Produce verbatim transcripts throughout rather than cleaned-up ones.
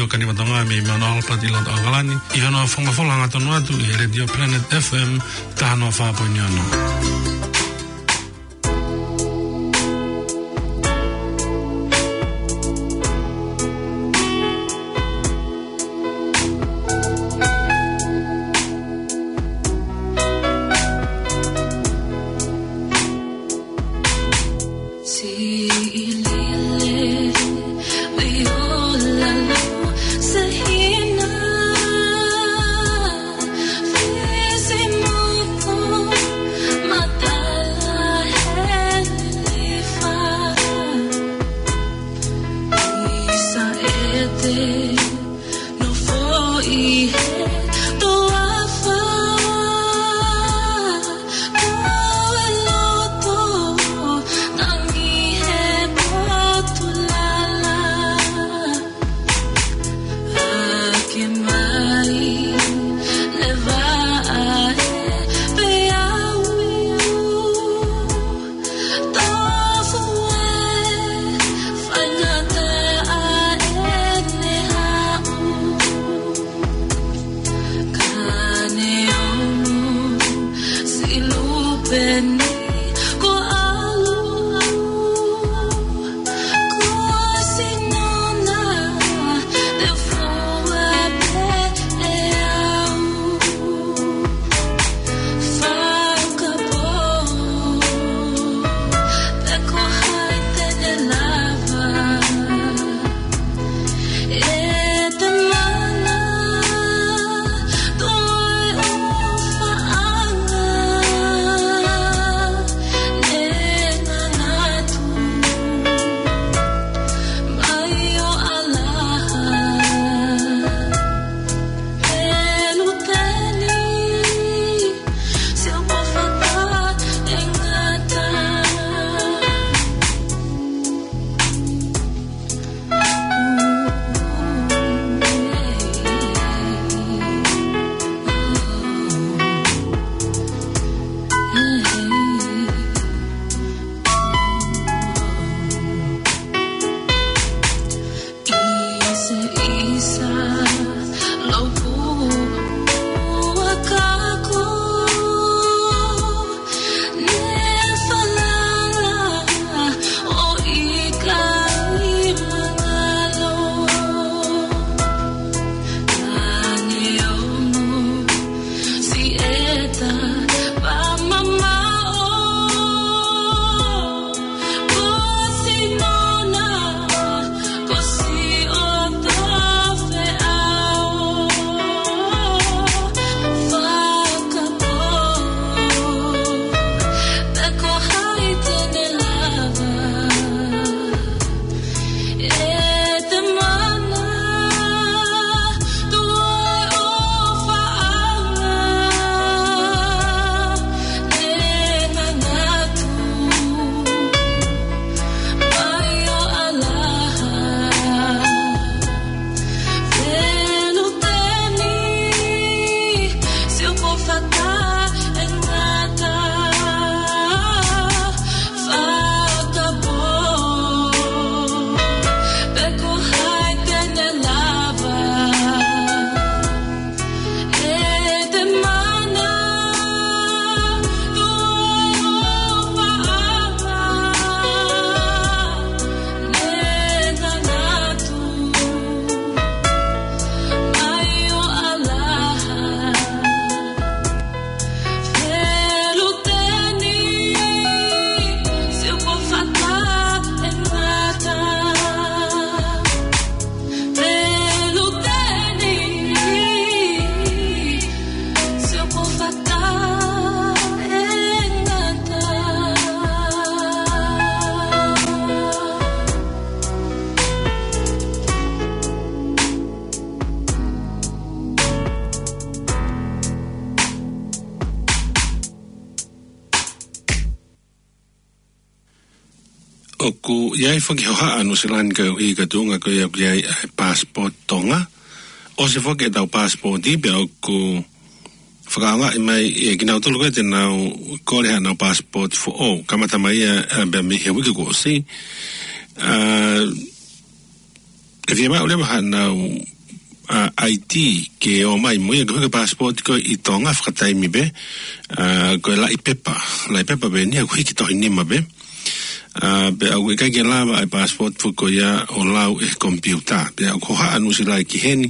Kaniva Tonga mei Mount Albert ʻi loto ʻAokalani, ʻi hono fakamafola hangatonu atu ʻi he Radio Planet F M taha noa fā poini ono. Nofo ʻi he toafa, ko e loto, nangi he potu lala. Ake mai, leva ʻa e peau. Tofu e faingataʻa ʻene haʻu. Ka ne ono silupeni ko ʻalu. Ko sino na te fua pē ʻe au. Fakapō, pe ko hai te ne lava ʻe te mana, toe ʻofaʻanga, ne ngangatu mai ʻo ʻalaha. Peluteni, sio ko fata e ngata. ʻIsa, ʻisa, lopu ua kako, ne falala ʻo ʻikai mangalo. Ka ne ono Sieta pa mamaʻo, ko sino na, ko siʻoto feʻao. Fakapō, pe ko hai te ne lava ʻe te mana, toe ʻofaʻanga, ne ngangatu mai ʻo ʻalaha. Peluteni, sio ko fata e ngata. Fakapō, pe ko hai te ne lava ʻe te mana, toe ʻofaʻanga, ne ngangatu mai ʻo ʻalaha. Peluteni, sio ko fata e ngata. Peluteni, sio ko fata e ngata. ʻOku ʻi ai foki hohaʻa Nuʻusila ni ka ʻi ka tuʻunga ko ia ʻoku ʻi ai ʻa e passport Tonga. ʻOsi foki ʻetau passport pea ʻoku fakaʻaongaʻi mai ʻe kinautolu ko ē te nau kole haʻanau passport foʻou. Kamata mai ia, ā, pea mei he uike kuo ʻosi. Ā, ʻe fiemaʻu leva haʻanau ʻa, I D ke ō mai mo ia, ko e hiki e passport ko ē ʻi Tonga fakataimi pē, ʻa, ko e laʻi pepa, laʻi pepa pē eni ʻoku hiki tohi nima pē. ʻA, pea ʻoku ʻikai ke lava ʻa e passport foki ko ia ʻo lau ʻe he komipiuta. Pea ʻoku hohaʻa Nuʻusila ki heni,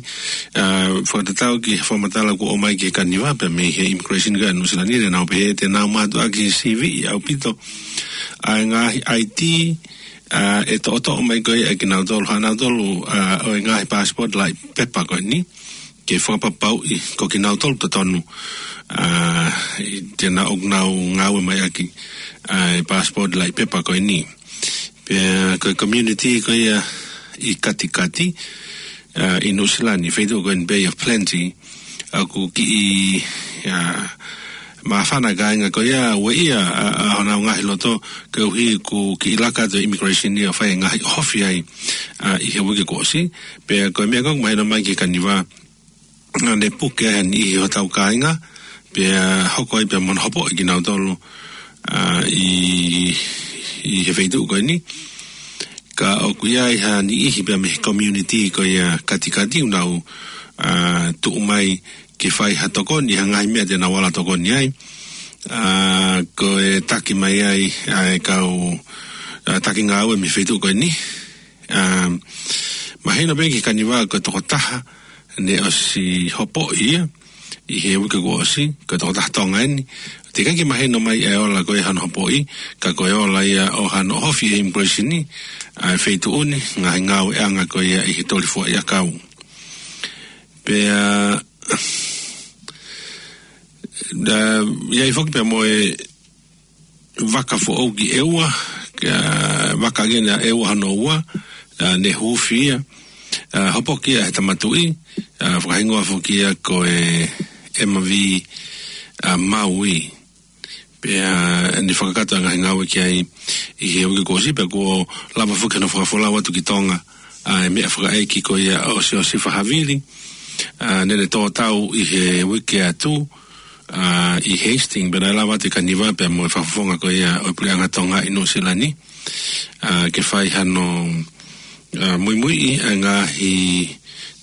ʻa, fakatatau ki he fakamatala kuo ʻomai ki he Kaniva, pea mei he immigration ko ia ʻa Nuʻusila ni, naʻa nau pehē te nau mātuʻaki siviʻi ʻaupito ʻa e ngaahi I D, ʻa, ʻe toʻotoʻo mai ko ia ʻe kinautolu, haʻanautolu, ʻa, ʻo e ngaahi passport laʻi pepa ko eni, ke fakapapauʻi ko kinautolu totonu, ʻa, ʻi he ʻenau, ʻoku nau ngāue mai ʻaki, ʻa, e passport laʻi pepa ko eni. Pea ko e community ko ia ʻi Katikati, ʻa, ʻi Nuʻusila ni, feituʻu ko eni Bay of Plenty, ʻoku kiʻi, ʻa, māfana e kāinga ko ia, ueʻia, ʻa, ʻa honau ngaahi loto, koeʻuhi ko e kiʻi laka atu e immigration ia ʻo fai e ngaahi ʻohofi ai, ʻa, ʻi he uike kuo ʻosi. Pea ko e meʻa ko ē ʻoku mahino mai ki he Kaniva, naʻa ne puke ai ha niʻihi hotau kāinga, pea hoko ai pea mo hono hopoʻi kinautolu, ʻa, ʻi, ʻi he feituʻu ko eni. Ka ʻoku ʻi ai ha niʻihi pea mei he community ko ia Katikati ʻoku nau, ʻa, tuʻu mai ke fai ha tokoni, ha ngaahi meʻa te nau ala tokoni ai. ʻA, ko e taki mai ai ʻa e kau, ʻa, taki ngāue mei he feituʻu ko eni. ʻA, mahino pē ki he Kaniva ko e tokotaha naʻe ʻosi hopoʻi ia ʻi he uike kuo ʻosi, ko e tokotaha Tonga eni. Teʻeki ke mahino mai e ola ko ē hono hopoʻi, ka ko e ola ia ʻo hano ʻohofi ʻe he immigration ʻa e feituʻu ni, ngaahi ngāueʻanga ko ia ʻi he toli fuaʻi ʻakau. Pea, ʻa, ʻi ai foki pea mo e vaka foʻou ki ʻEua, ka vaka ʻeni ʻa ʻEua hono ua, ʻa, naʻe huufi ia, ʻa, hopoki ia ʻe he Tama Tuʻi, ʻa, fakahingoa foki ia ko e M V, ʻa, Maui. Pea, ʻa, naʻe fakakakato e ngaahi ngāue ki ai ʻi he uike kuo ʻosi, pea kuo lava foki hono fakafolau atu ki Tonga, ʻa, e meʻa fakaʻeiki ko ia ʻo Siosifa Havili, ʻa, naʻa ne tō tau ʻi he uike atu, ʻa, ʻi Hastings, pea naʻe lava atu e Kaniva pea mo e fakafofonga ko ia ʻo e Puleʻanga Tonga ʻi Nuʻusila ni, ʻa, ke fai hano, ʻa, muimuiʻi ʻa e ngaahi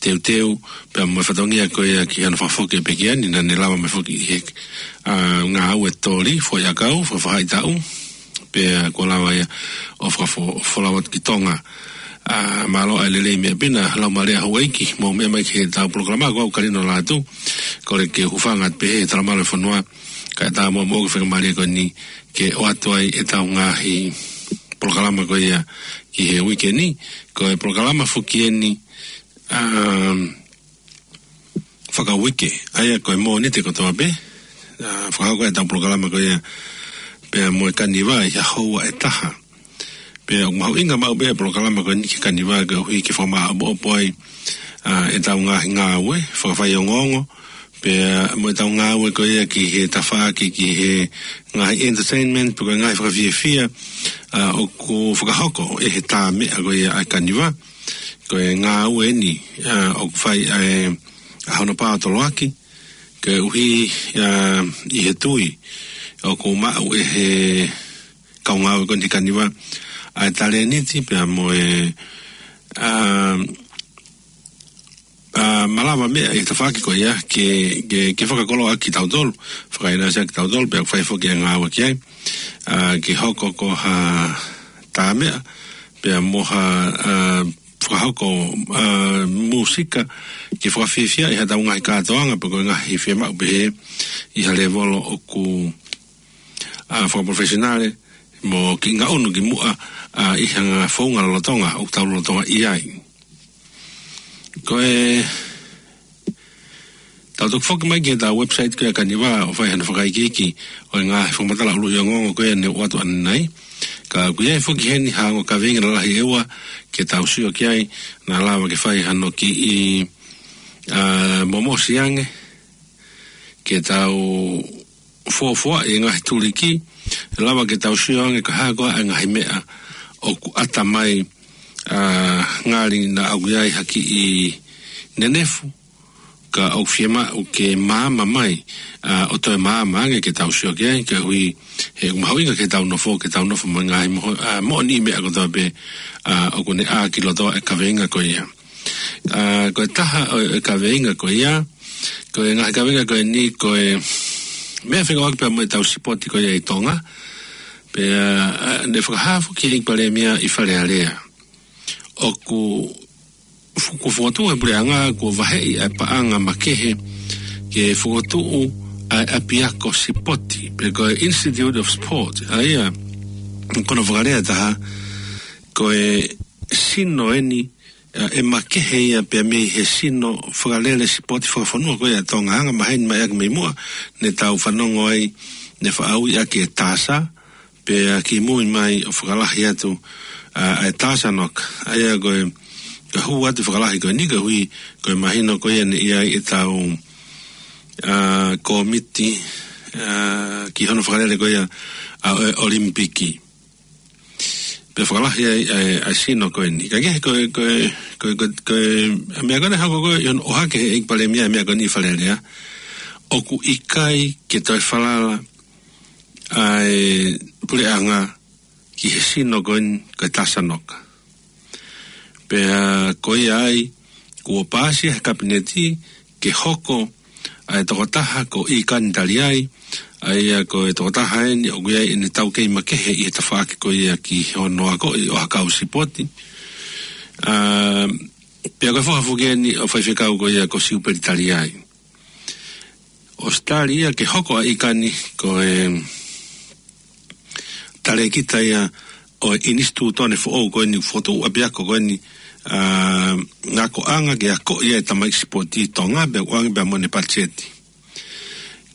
teuteu, pea mo e fatongia ko ia ki hano fakafoki e pekia ni, naʻa ne lava mai foki ʻi he, ʻa, ngāue toli fuaʻi ʻakau, fakafaʻahitaʻu, pea kuo lava ia ʻo fakafo-, folau atu ki Tonga. ʻA, mālō ʻa e lelei meʻa pē na, Laumālie Houʻeiki, mou meʻa mai ki heʻetau polokalama, ko au Kalino Lātū, kole ke u hūfanga atu pē he talamalu e fonua, kae ʻatā muʻa moʻoku e faingamālie ko eni, ke ʻoatu ai ʻetau ngaahi polokalama ko ia ki he uike ni, ko e polokalama foki eni, ʻa, fakauike, ʻa ia ko e Mōnite kotoa pē, ʻa, fakahoko ʻetau polokalama ko ia, pea mo e Kaniva ʻi he houa ʻe taha. Pea ʻoku mahuʻinga maʻu pē e polokalama ko eni ki he Kaniva koeʻuhi ke fakamāʻopoʻopo ai, ʻa, ʻetau ngaahi ngāue, fakafaiongoongo, pea mo ʻetau ngāue ko ia ki he tafaʻaki, ki he ngaahi entertainment, pe ko e ngaahi fakafiefia, ʻa, ʻoku fakahoko ʻe he tāmeʻa ko ia ʻa e Kaniva, ko e ngāue eni, ʻa, ʻoku fai ʻa e, ʻa hono pātoloaki, koeʻuhi, ʻa, ʻi he tui, ʻoku maʻu ʻe he kau ngāue ko eni Kaniva, ʻa e talēniti pea mo e, ʻa, ʻa, malava meʻa ʻi he tafaʻaki ko ia, ke, ke, ke fakakoloa kitautolu, fakaʻinasi kitautolu, pea fai foki e ngāue ki ai, ʻa, ke hoko ko ha tāmeʻa, pea mo ha, ʻa, fakahoko, ʻa, mūsika, ke fakafiefia ʻi haʻatau ngaahi kātoanga, pe ko e ngaahi fiemaʻu pehē, ʻi ha lēvolo ʻoku, ʻa, fakaprofessionale, mo kiʻi ngaʻunu ki muʻa, ʻa, ʻi ha ngaahi founga lolotonga, ʻoku tau lolotonga ʻi ai. Ko e, tau toki foki mai ki heʻetau website ko ia Kaniva, ʻo fai hano fakaikiiki, ʻo e ngaahi fakamatala ʻuluʻi ongoongo ko ia naʻe ʻoatu ʻanenai. Ka ʻoku ʻi ai foki heni ha ongo kaveinga lalahi ʻe ua, ke tau sio ki ai, naʻa lava ke fai hano kiʻi, ʻa, momosi ange, ke tau fuofua e ngaahi tuliki, lava ke tau sio ange ko e hā koā e ngaahi meʻa ʻoku ʻata mai, ʻa, ngali naʻa ʻoku ʻi ai ha kiʻi nenefu, ka ʻoku fiemaʻu ke maama mai, ʻa, ʻo toe maama ange ke tau sio ki ai, koeʻuhi he ʻoku mahuʻinga ke tau nofo, ke tau nofo mo e ngaahi moho-, ʻa, moʻoniʻi meʻa kotoa pē, ʻa, ʻoku ne ʻā ki loto e kaveinga ko ia. ʻA, ko e taha ʻo e kaveinga ko ia, ko e ngaahi kaveinga ko eni, ko e meʻa fekauʻaki pea mo ʻetau sipoti ko ia ʻi Tonga. Pea, ʻa, ne fakahā foki ʻe he ʻEiki Palēmia ʻi Fale Alea, ʻoku fu-, kuo fokotuʻu ʻe he puleʻanga, kuo vaheʻi ʻa e paʻanga makehe ke fokotuʻu ʻa e ʻapiako sipoti, pe ko e Institute of Sport. ʻA ia, ko hono fakalea ʻe taha, ko e sino eni, ʻa, ʻe makehe ia pea mei he sino fakalele sipoti fakafonua ko ia ʻa Tonga, hangē ko e maheni mai ʻaki mei muʻa, ne tau fanongo ai, ne faʻa ui ʻaki e TASA, pea kimui mai ʻo fakalahi atu, ʻa, ʻa e TASANOC. ʻA ia ko e, ko e hū atu fakalahi ko eni, koeʻuhi ko e mahino ko ia ne ʻi ai ʻetau, ʻa, kōmiti, ʻa, ki hono fakalele ko ia ʻa e ʻOlimipiki. Pea fakalahi ai ʻa e, ʻa e sino ko eni. Ka ko e, ko e, ko e, ko e, ko e, ko e, ʻa e meʻa ko eni hangē ko e, ʻi hono ʻohake ʻe he ʻEiki Palēmia ʻa e meʻa ko eni ʻi Fale Alea, ʻoku ʻikai ke toe falala ʻa e puleʻanga ki he sino ko eni ko e TASANOC. Pea ko ia ai, kuo paasi ʻe he Kapineti ke hoko ʻa e tokotaha ko ʻIkani Taliai, ʻa ia ko e tokotaha eni ʻoku ʻi ai ʻene taukei makehe ʻi he tafaʻaki ko ia ki hono akoʻi ʻo ha kau sipoti. ʻA, pea ko e foha foki eni ʻo e faifekau ko ia ko Siupeli Taliai. ʻOsi tali ia ke hoko ʻa ʻIkani ko e talēkita ia ʻo e ʻinisitūtone foʻou ko eni, fokotuʻu ʻapiako ko eni, ʻa, akoʻanga ke akoʻi ʻa e tamaiki sipoti ʻi Tonga, pea ʻoange pea mo ʻene patiseti.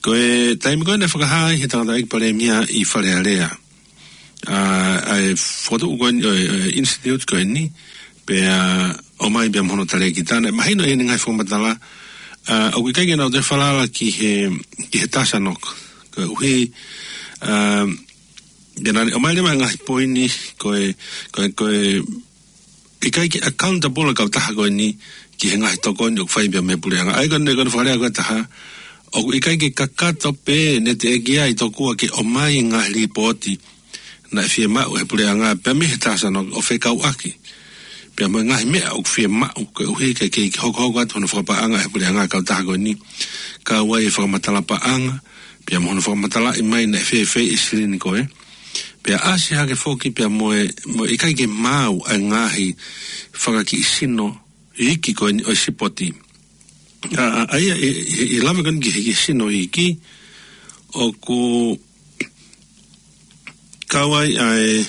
Ko e taimi ko eni naʻe fakahā ai ʻe he tangataʻeiki Palēmia ʻi Fale Alea, ʻa, ʻa e fokotuʻu ko eni, ʻo e, ʻo e institute ko eni, pea ʻomai pea mo hono talēkita, naʻe mahino ʻi heʻene ngaahi fakamatala, ʻa, ʻoku ʻikai ke nau toe falala ki he, ki he TASANOC. Koeʻuhi, ʻa, pea naʻa ne ʻomai leva e ngaahi poini, ko e, ko e, ko e, ʻikai ke accountable ʻa e kautaha ko eni ki he ngaahi tokoni ʻoku fai pea mei he puleʻanga. ʻA ia ko eni, ko hono fakalea ko ē ʻe taha, ʻoku ʻikai ke kakato pē ʻene teʻeki ai tokua ke ʻomai e ngaahi lipooti naʻe fiemaʻu ʻe he puleʻanga pea mei he TASANOC ʻo fekauʻaki pea mo e ngaahi meʻa ʻoku fiemaʻu koeʻuhi ke kei hokohoko atu hono fakapaʻanga ʻe he puleʻanga ʻa e kautaha ko eni, kau ai e fakamatala paʻanga, pea mo hono fakamatalaʻi mai naʻe fēfē e silini ko ē. Pea ʻasi hake foki pea mo e, mo e ʻikai ke maau ʻa e ngaahi fanga kiʻi sino iiki ko eni ʻo e sipoti. ʻA, ʻa, ʻa ia, ʻi, ʻi, ʻi he lave ko eni ki he, ki he sino iiki, ʻoku kau ai ʻa e,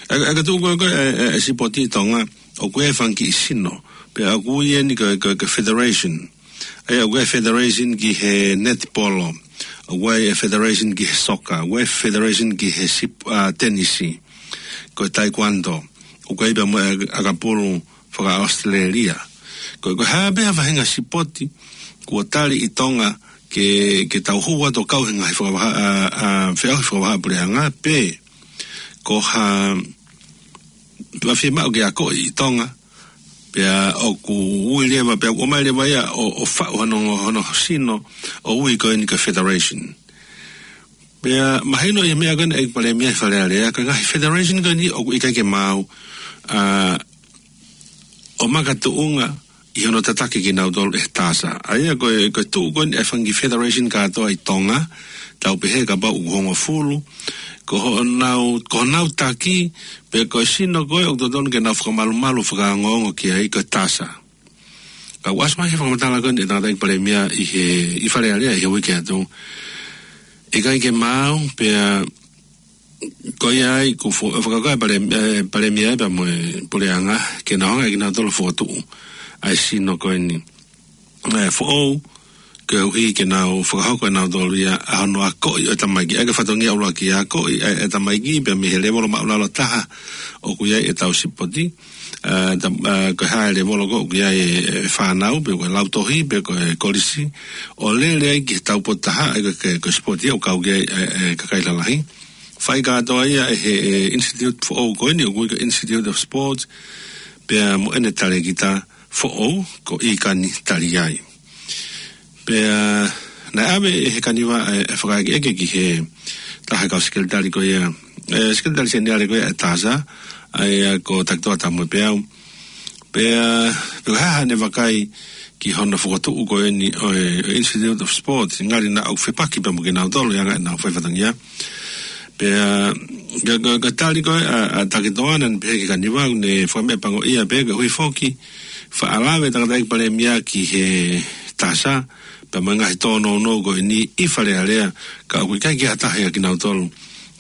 ʻa e, ʻa e kau tuʻu ko ē, ko ē, ʻa e, ʻa e sipoti ʻi Tonga, ʻoku ʻi ai e fanga kiʻi sino, pea ʻoku ui eni ko e, ko e, ko e federation. ʻA ia, ʻoku ʻi ai e federation ki he netipolo, ʻoku ʻi ai e federation ki he soka, ʻoku ʻi ai e federation ki he sip-, ʻa, tenisi, ko e taekwondo, ʻoku ʻi ai pea mo e ʻakapulu faka-ʻAositelēlia. Ko, ko e hā pē ha faʻahinga sipoti kuo tali ʻi Tonga ke, ke tau hū atu ʻo kau he ngaahi fakavahaʻa, ʻa, ʻa, feʻauhi fakavahaʻapuleʻanga, pe ko ha, pe ko ha fiemaʻu ke akoʻi ʻi Tonga, pea ʻoku ui leva, pea ʻomai leva ia ʻo, ʻo faʻu hono, hono sino, ʻo ui ko eni ko e federation. Pea mahino ʻi he meʻa ko eni ʻa e ʻEiki Palēmia ʻi Fale Alea, ko e ngaahi federation ko eni ʻoku ʻikai ke maau, ʻa, ʻo makatuʻunga ʻi hono tataki kinautolu ʻe he TASA. ʻA ia ko e, ko e tuʻu ko eni e fanga kiʻi federation kātoa ʻi Tonga, tau pehē kapau ʻoku hongofulu, ko honau, ko honau taki, pe ko e sino ko ē ʻoku totonu ke nau fakamalumalu fakaongoongo ki ai ko e TASA. Ka ʻoku ʻasi mai he fakamatala ko eni ʻa e tangataʻeiki Palēmia ʻi he, ʻi Fale Alea ʻi he uike atu, ʻikai ke maau, pea ko ia ai, kuo fo-, fakakaukau e Palē-, ʻe, Palēmia pea mo e puleʻanga ke nau hanga ʻe kinautolu ʻo fokotuʻu ʻa e sino ko eni, ʻe, foʻou, koeʻuhi ke nau fakahoko ʻe nautolu ia ʻa hono akoʻi ʻo e tamaiki. ʻA ia ko e fatongia ʻuluaki, akoʻi ʻa e, ʻa e tamaiki pea mei he lēvolo māʻulalo taha ʻoku ʻi ai ʻetau sipoti, ʻa, ta-, ʻa, ko e hā e lēvolo ko ē ʻoku ʻi ai e, e fānau, pe ko e lautohi, pe ko e kolisi, ʻo lele ai ki he taupotu taha, ʻa ia ko e, ko e sipoti ia ʻoku kau ki ai e, e kakai lalahi. Fai kātoa ia ʻe he, e, institute foʻou ko eni, ʻoku ui ko e Institute of Sports, pea mo ʻene talēkita foʻou, ko ʻIkani Taliai. Pea naʻe ʻave ʻe he Kaniva e, e fakaʻekeʻeke ki he taha e kau sekelitali ko ia, e, sekelitali seniale ko ia ʻa e TASA, ʻa ia ko Takitoa Tamuepeau. Pea, pea ko e hā haʻane vakai ki hono fokotuʻu ko eni ʻo e, ʻo e Institute of Sport, ngali naʻa ʻoku fepaki pea mo kinautolu ʻi he anga ʻenau faifatongia. Pea, ka, ka, ka tali ko ē ʻa, ʻa Takitoa naʻa ne pehē ki he Kaniva, ne fakameʻapangoʻia pē koeʻuhi foki, faʻa lave tangataʻeiki palēmia ki he TASA, pea mo e ngaahi tōnounou ko eni ʻi Fale Alea, ka ʻoku ʻikai ke ʻi ai ha taha ʻia kinautolu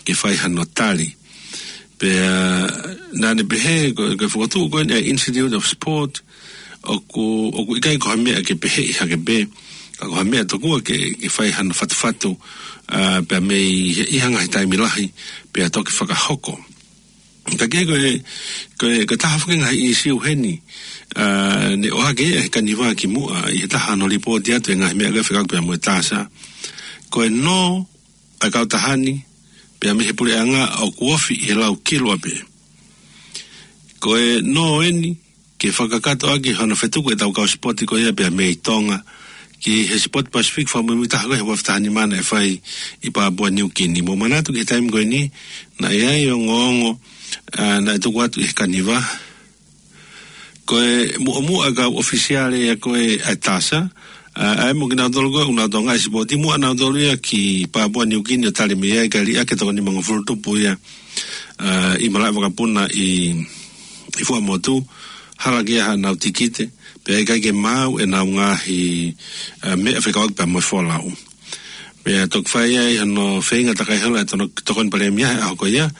ke fai hano tali. Pea, naʻa ne pehē, ko, ko e fokotuʻu ko eni ʻa e Institute of Sport, ʻoku, ʻoku ʻikai ko ha meʻa ke peheʻi hake pē, ka ko ha meʻa tokua ke, ke fai hano fatufatu, ʻa, pea mei he, ʻi ha ngaahi taimi lahi, pea toki fakahoko. Ka ko e, ko e, ko e taha foki e ngaahi ʻīsiu heni, ʻa, ne ʻohake ʻe he Kaniva kimuʻa, ʻi he taha hono lipooti atu e ngaahi meʻa ko ē fekauʻaki pea mo e TASA. Ko e nō ʻa e kautaha ni, pea mei he puleʻanga ʻoku ofi ʻi he lau kilu ʻapē. Ko e nō eni, ke fakakakato ʻaki hono fetuku ʻetau kau sipoti ko ia pea mei Tonga, ki he sipoti Pasifiki fakamuimui taha ko ē he ua afe taha nima naʻe fai ʻi Papua New Guinea. Mou manatu ki he taimi ko eni, naʻe ʻi ai e ongoongo, ʻa, naʻe tuku atu ʻe he Kaniva, ko e muʻomuʻa kau ʻofisiale ia ko ē ʻa e TASA, ʻa, ʻa ia mo kinautolu ko ē ʻoku nau tokangaʻi e sipoti, muʻa nautolu ia ki Papua New Guinea ʻo tali mei ai kae liʻaki e toko nimangofulu tupu ia, ʻa, ʻi malaʻe vakapuna ʻi, ʻi Fuaʻamotu, hala ki ai haʻanau tikite, pea ʻikai ke maau ʻenau ngaahi, ʻa, meʻa fekauʻaki pea mo e folau. Pea toki fai ai hano feinga takai holo ʻa e tono-, tokoni palēmia he ʻaho ko ia.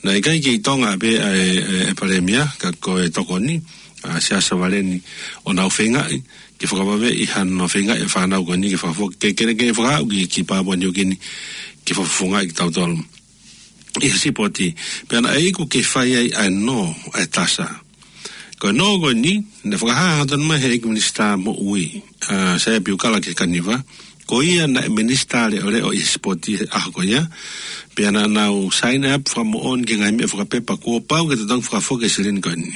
Naʻe ʻikai ke ʻi Tonga pē ʻa e, e, e palēmia, ka ko e tokoni, ʻa, Siaosi Savaleni, ʻo nau feingaʻi ke fakavaveʻi hano feingaʻi e fānau ko eni ke fakafoki, ke, ke, ke fakaaʻu ki, ki Papua New Guinea, ke fakafofongaʻi kitautolu ʻi he sipoti. Pea naʻe iku ke fai ai ʻa e nō ʻa e TASA. Ko e nō ko eni, naʻe fakahā hangatonu mai ʻe he ʻEiki Minisitā Moʻui, ʻa, Saia Piukala ki he Kaniva, ko ia naʻe minisitā leʻoleʻo ʻi he sipoti he ʻaho ko ia, pea naʻa nau sign up fakamoʻoni ki he ngaahi meʻa fakapepa kuo pau ke totongi fakafoki e silini ko eni.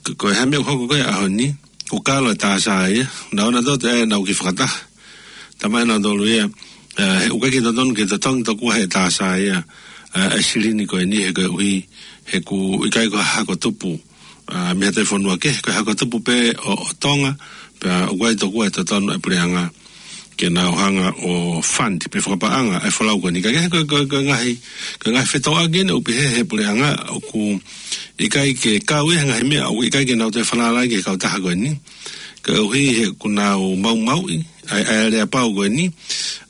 Ko, ko e hā e meʻa ʻoku hoko ko ē he ʻaho ni, ʻoku kalo e TASA ia, naʻa nau ō atu ʻo nau kiʻi fakataha. Talamai ʻe nautolu ia, ʻa, he ʻoku ʻikai ke totonu ke totongi tokua ʻe he TASA ia, ʻa, e silini ko eni he koeʻuhi, he ʻoku ʻikai ko ha hako tupu, ʻa, mei ha toe fonua kehe, ko e hako tupu pē ʻo, ʻo Tonga, pea ʻoku ʻikai tokua ʻe totonu e puleʻanga ke nau hanga ʻo fund pe fakapaʻanga e folau ko eni. Ka ko e, ko e, ko e ngaahi, ko e ngaahi fetōʻaki eni ʻoku pehē ʻe he puleʻanga ʻoku ʻikai ke kau ia he ngaahi meʻa ʻoku ʻikai ke nau toe falala ki he kautaha ko eni. Koeʻuhi he ʻoku nau maumauʻi ʻa e, ʻa e aleapau ko eni.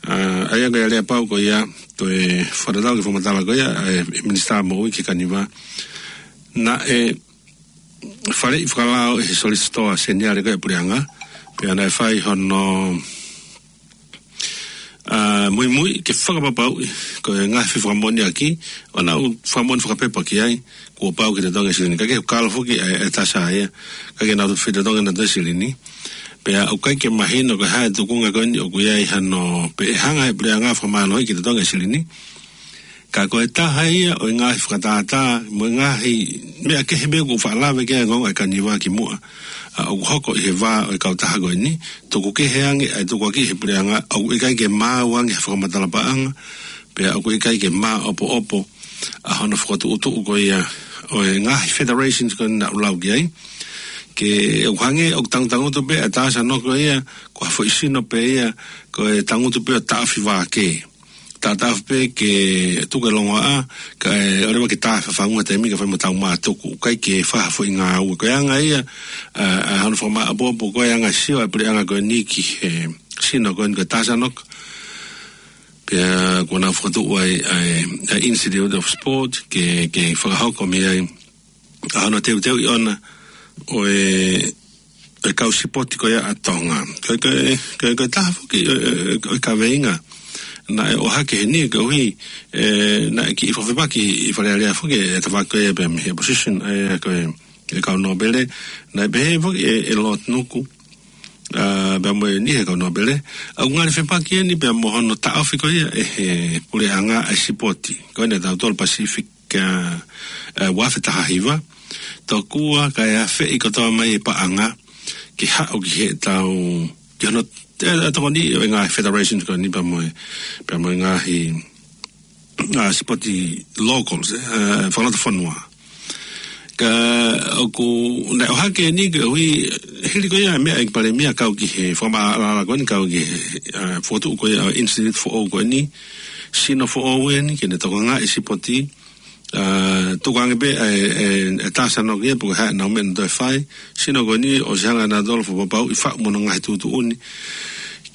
ʻA, ʻa ia ko e aleapau ko ia, toe fakatatau ki he fakamatala ko ia ʻa e Minisitā Moʻui ki he Kaniva. Naʻe faleʻi fakalao ʻe he Solisitā Seniale ko ē ʻa e puleʻanga, pea naʻe fai hono, ʻa, muimui ke fakapapauʻi ko e ngaahi fefakamoʻoniʻaki ʻoku nau fakamoʻoni fakapepa ki ai, kuo pau ke totongi e silini. Ka ko e kalo foki ʻa e, ʻa e TASA ia, ʻikai ke nau toe totongi ʻe nautolu e silini. Pea ʻoku ʻikai ke mahino ko e hā e tuʻunga ko eni ʻoku ʻi ai hano pe ʻe hanga ʻe he puleʻanga ʻo fakamālohiʻi ke totongi e silini. Ka ko e taha ia ʻo e ngaahi fakatātā, mo e ngaahi meʻa kehe pē ʻoku faʻa lave ki ai e ongoongo ʻa e Kaniva kimuʻa, ʻa, ʻoku hoko ʻi he vā ʻo e kautaha ko eni, tuku kehe ange ʻa e tukuakiʻi ʻe he puleʻanga, ʻoku ʻikai ke maau ange he fakamatala paʻanga, pea ʻoku ʻikai ke māʻopoʻopo ʻa hono fokotuʻutuʻu ko ia ʻo e ngaahi federations ko eni naʻa ku lau ki ai. Ke ʻoku hangē ʻoku tangutangutu pē ʻa e TASA ʻo ko ia, ko ha foʻi sino pē ia, ko e tangutu pē ʻo taʻofi vā kē. Taʻataʻofi pē ke tuku e longoaʻa, kae ʻoua leva ke tā fafangu he taimi ka fai mo tau mātuku, ʻikai ke fai ha foʻi ngāue. Ko e anga ia, ʻa, ʻa hono fakamāʻopoʻopo ko e anga sio ʻa e puleʻanga ko eni ki he sino ko eni ko e TASA ʻo ko. Pea kuo nau fokotuʻu ai, ʻa e, ʻa e Institute of Sport, ke, ke fakahoko mei ai ʻa hono teuteuʻi ʻona ʻo e, e kau sipoti ko ia ʻa Tonga. Ko e, ko e, ko e, ko e taha foki ʻo e, ʻo e, ʻo e kaveinga naʻe ʻohake heni koeʻuhi, ʻe, naʻe kiʻi fakafepaki ʻi Fale Alea foki e tafaʻaki ko ia pea mei he opposition, ʻa ia ko e, e kau nōpele, naʻe pehē foki ʻe, ʻe Lord Nuku, ʻa, pea mo e niʻihi e kau nōpele, ʻoku ngali fepaki eni pea mo hono taʻofi ko ia ʻe he puleʻanga ʻa e sipoti ko eni ʻa tautolu Pacific, ʻa, ʻa, ua afe taha hiva, tokua kae afeʻi kotoa mai e paʻanga ke haʻu ki heʻetau, ki hono, ʻe, ʻe tokoni ʻo e ngaahi federations ko eni pea mo e, pea mo e ngaahi, ʻa, sipoti locals, ʻe, ʻa, fakalotofonua. Ka ʻoku, naʻe ʻohake eni koeʻuhi, hili ko ia e meʻa ʻa e ʻEiki Palēmia kau ki he fakamaʻalaʻala ko eni, kau ki he, ʻa, fokotuʻu ko ia ʻo e institute foʻou ko eni, sino foʻou eni, ke ne tokangaʻi e sipoti, ʻa, tuku ange pē ʻa e, e, e tā sano kia, pe ko e hā ʻenau meʻa naʻa nau toe fai, sino ko eni ʻosi hanga ʻe nautolu ʻo fakapapauʻi ʻe faʻu mo hono ngaahi tuʻutuʻuni,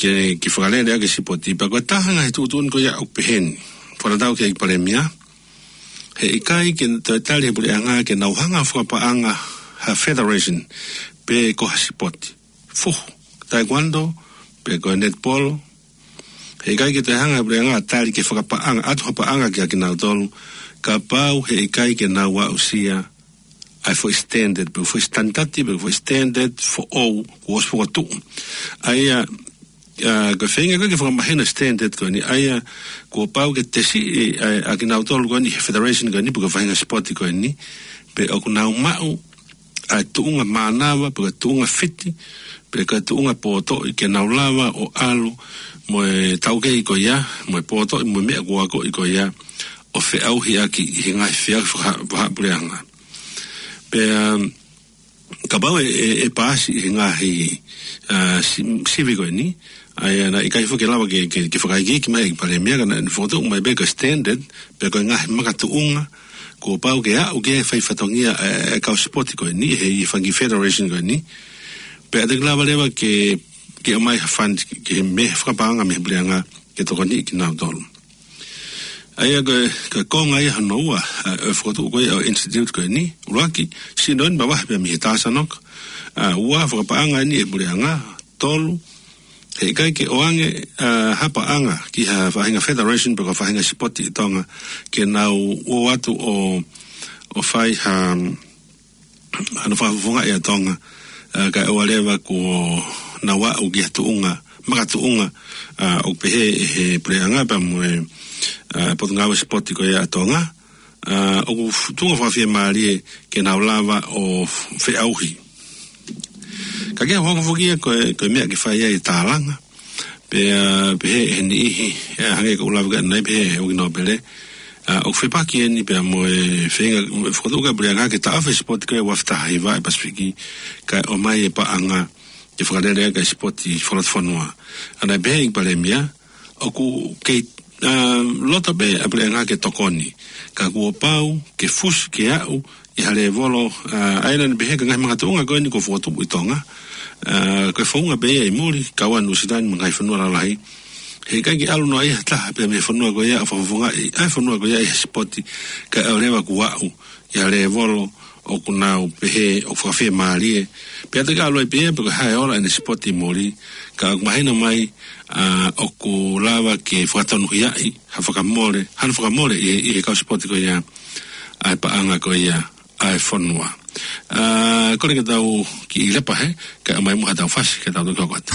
ke, ke fakalele ʻaki e sipoti, pea ko e taha e ngaahi tuʻutuʻuni ko ia ʻoku peheni. Fakatatau ki he ʻEiki Palēmia, he ʻikai ke toe tali ʻe he puleʻanga ke nau hanga ʻo fakapaʻanga ha federation pe ko ha sipoti. Fuhu, taekwondo, pe ko e netball. He ʻikai ke toe hanga ʻe he puleʻanga ʻo tali ke fakapaʻanga, ʻatu ha paʻanga kiate kinautolu, kapau he ʻikai ke nau aʻusia ʻa e foʻi standard, pe foʻi standard, pe foʻi standard foʻou kuo ʻosi fokotuʻu. ʻA ia, ʻa, ko e feinga ko ē ke fakamahino e standard ko eni, ʻa ia kuo pau ke tesiʻi ʻa, ʻa kinautolu ko eni he federation ko eni, pe ko e faʻahinga sipoti ko eni, pe ʻoku nau maʻu ʻa e tuʻunga mānava, pe ko e tuʻunga fiti, pe ko e tuʻunga pōtoʻi ke nau lava ʻo ʻalu mo e taukei ko ia, mo e pōtoʻi, mo e meʻa kuo akoʻi ko ia, ʻo feʻauhi ʻaki ʻi he ngaahi feʻauhi faka-, fakapuleʻanga. Pea, um, kapau ʻe, ʻe, ʻe paasi ʻi he ngaahi, ʻa, si-, sivi ko eni, ʻa ia naʻe ʻikai foki ke lava ke, ke, ke fakaikiiki mai ʻe he ʻEiki Palēmia, ka naʻe fokotuʻu mai pē ko e standard, pe ko e ngaahi makatuʻunga kuo pau ke aʻu ki ai e fai fatongia ʻa e, ʻa e kau sipoti ko eni, he ʻi he fanga federation ko eni. Pea te ke lava leva ke, ke ʻomai ha fund, ke, ke meʻa fakapaʻanga mei he puleʻanga ke tokoniʻi kinautolu. ʻA ia ko e, ko e konga ia hono ua, ʻa, ʻo e fokotuʻu ko ia ʻo e institute ko eni, ʻuluaki, sino eni mavahe pē mei he tā sano kia. ʻA, ua, fakapaʻanga eni ʻe he puleʻanga, tolu, he ʻikai ke ʻoange, ʻa, ha paʻanga ki ha faʻahinga federation pe ko ha faʻahinga sipoti ʻi Tonga ke nau ō atu ʻo, ʻo fai ha, hano fakafofongaʻi ʻa Tonga, ʻa, kae ʻoua leva kuo nau aʻu ki ha tuʻunga, makatuʻunga, ʻa, ʻoku pehē ʻe he puleʻanga pea mo e, ʻa, Potungāue Sipoti ko ia ʻa Tonga, ʻa, ʻoku f-, tuʻunga fakafiemālie ke nau lava ʻo feʻauhi. Ka ke hoko foki ia ko e, ko e meʻa ke fai ai e tālanga. Pea, pehē ʻe he niʻihi, ʻa, hangē ko ʻeku lave ki ai ʻanenai, pehē ʻe he ʻEiki Nōpele, ʻa, ʻoku fepaki eni pea mo e feinga, fokotuʻu ʻa e puleʻanga ke taʻofi e sipoti ko e ua afe taha hiva ʻi he Pasifiki, kae ʻomai e paʻanga ke fakalele ʻaki e sipoti fakalotofonua. ʻA ia naʻe pehē ʻe he ʻEiki Palēmia, ʻoku kei, ʻa, loto pē ʻa e puleʻanga ke tokoni. Ka kuo pau ke fusi ke aʻu ʻi ha lēvolo, ʻa, ʻa ia naʻa ne pehē ko e ngaahi makatuʻunga ko eni kuo fokotuʻu ʻi Tonga, ʻa, ko e founga pē ia ʻi muli, kau ai ʻa Nuʻusila ni mo e ngaahi fonua lalahi. He ʻikai ke ʻalu noa ia ha taha pē mei he fonua ko ia ʻo fakafofongaʻi ʻa e fonua ko ia ʻi ha sipoti, kae ʻoua leva kuo aʻu ʻi ha lēvolo ʻoku nau pehē ʻoku fakafiemālie. Pea te ke ʻalu ai pē ia pe ko e hā e ola ʻene sipoti ʻi muli, ka ʻoku mahino mai, ʻa, ʻoku lava ke fakatonuhiaʻi ha fakamole, hano fakamole ʻi, ʻi he kau sipoti ko ia ʻa e paʻanga ko ia ʻa e fonua. ʻA, kole ke tau kiʻi lepa hē, kae ʻomai muʻa haʻatau fasi, ke tau toki hoko atu.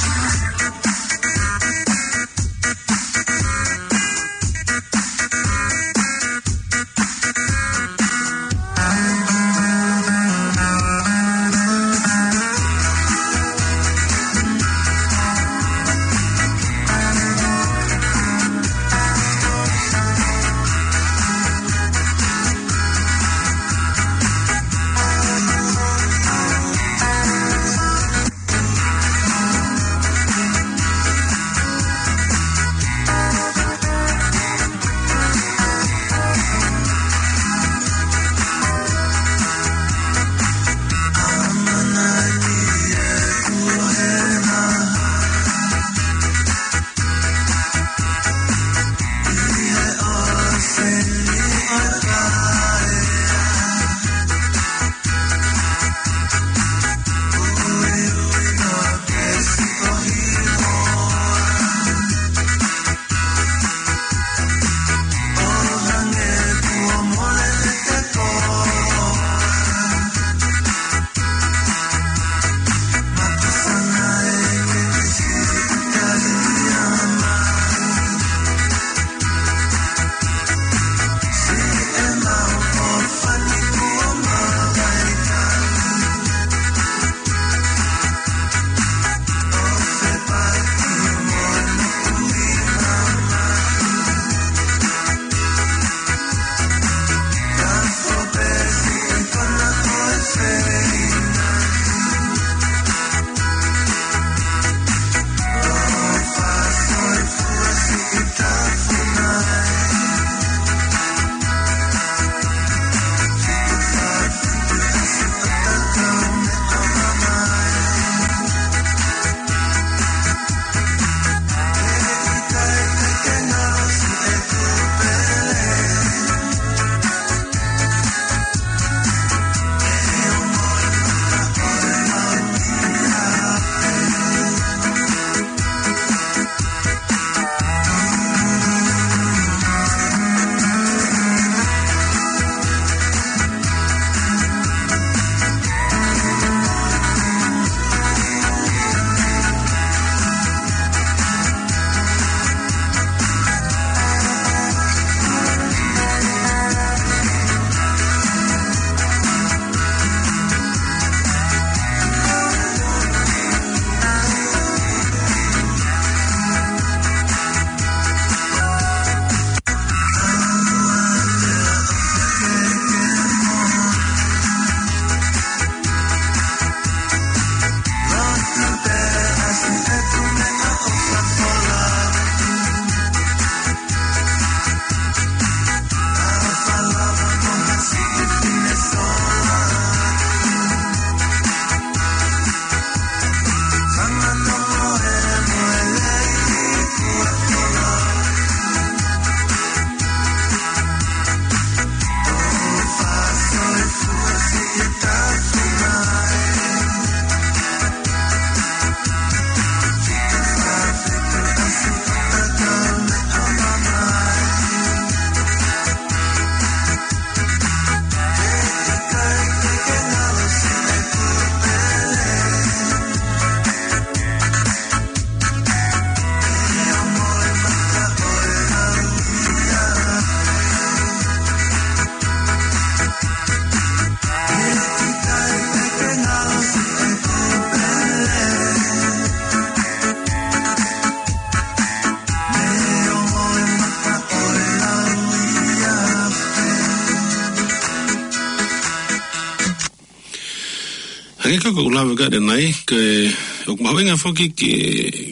Hangē ko ʻeku lave ko ē ʻanenai, ko e, ʻoku mahuʻinga foki ke,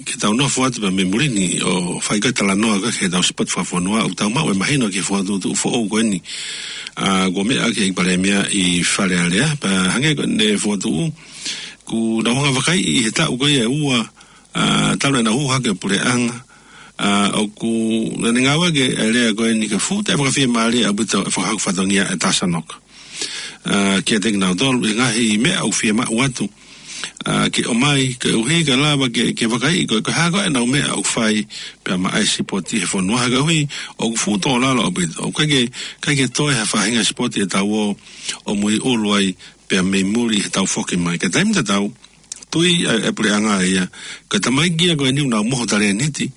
ke tau nofo atu pē mei muli ni ʻo fai ko ē talanoa ko ē ki heʻetau sipoti fakafonua, ʻoku tau maʻu e mahino ki he fokotuʻutuʻu foʻou ko eni. ʻA, kuo meʻa ki ai ʻEiki Palēmia ʻi Fale Alea, pea hangē ko ʻene fokotuʻu, kuo nau hanga ʻo vakaiʻi ʻi he taʻu ko ia ʻe ua, ʻa, talu ʻenau hū hake e puleʻanga, ʻa, ʻoku, naʻa ne ngāueʻaki e lea ko eni ka fuʻu toe fakafiemālie ʻaupito e fakahoko fatongia e TASANOC. ʻA, kiate kinautolu, ʻi he ngaahi meʻa ʻoku fiemaʻu atu, ʻa, ke ʻomai, koeʻuhi ke lava ke, ke vakaiʻi ko e, ko e hā ko ē ʻenau meʻa ʻoku fai pea maʻa e sipoti he fonua, koeʻuhi ʻoku fuʻu tō lalo ʻaupito. ʻOku ʻikai ke, ʻikai ke toe ha faʻahinga sipoti ʻe tau ō ʻo muiʻulu ai pea mei muli heʻetau foki mai. Ka taimi tatau, tui ʻa e, e puleʻanga ia, ko e tamaiki ia ko eni ʻoku nau mohu talēniti,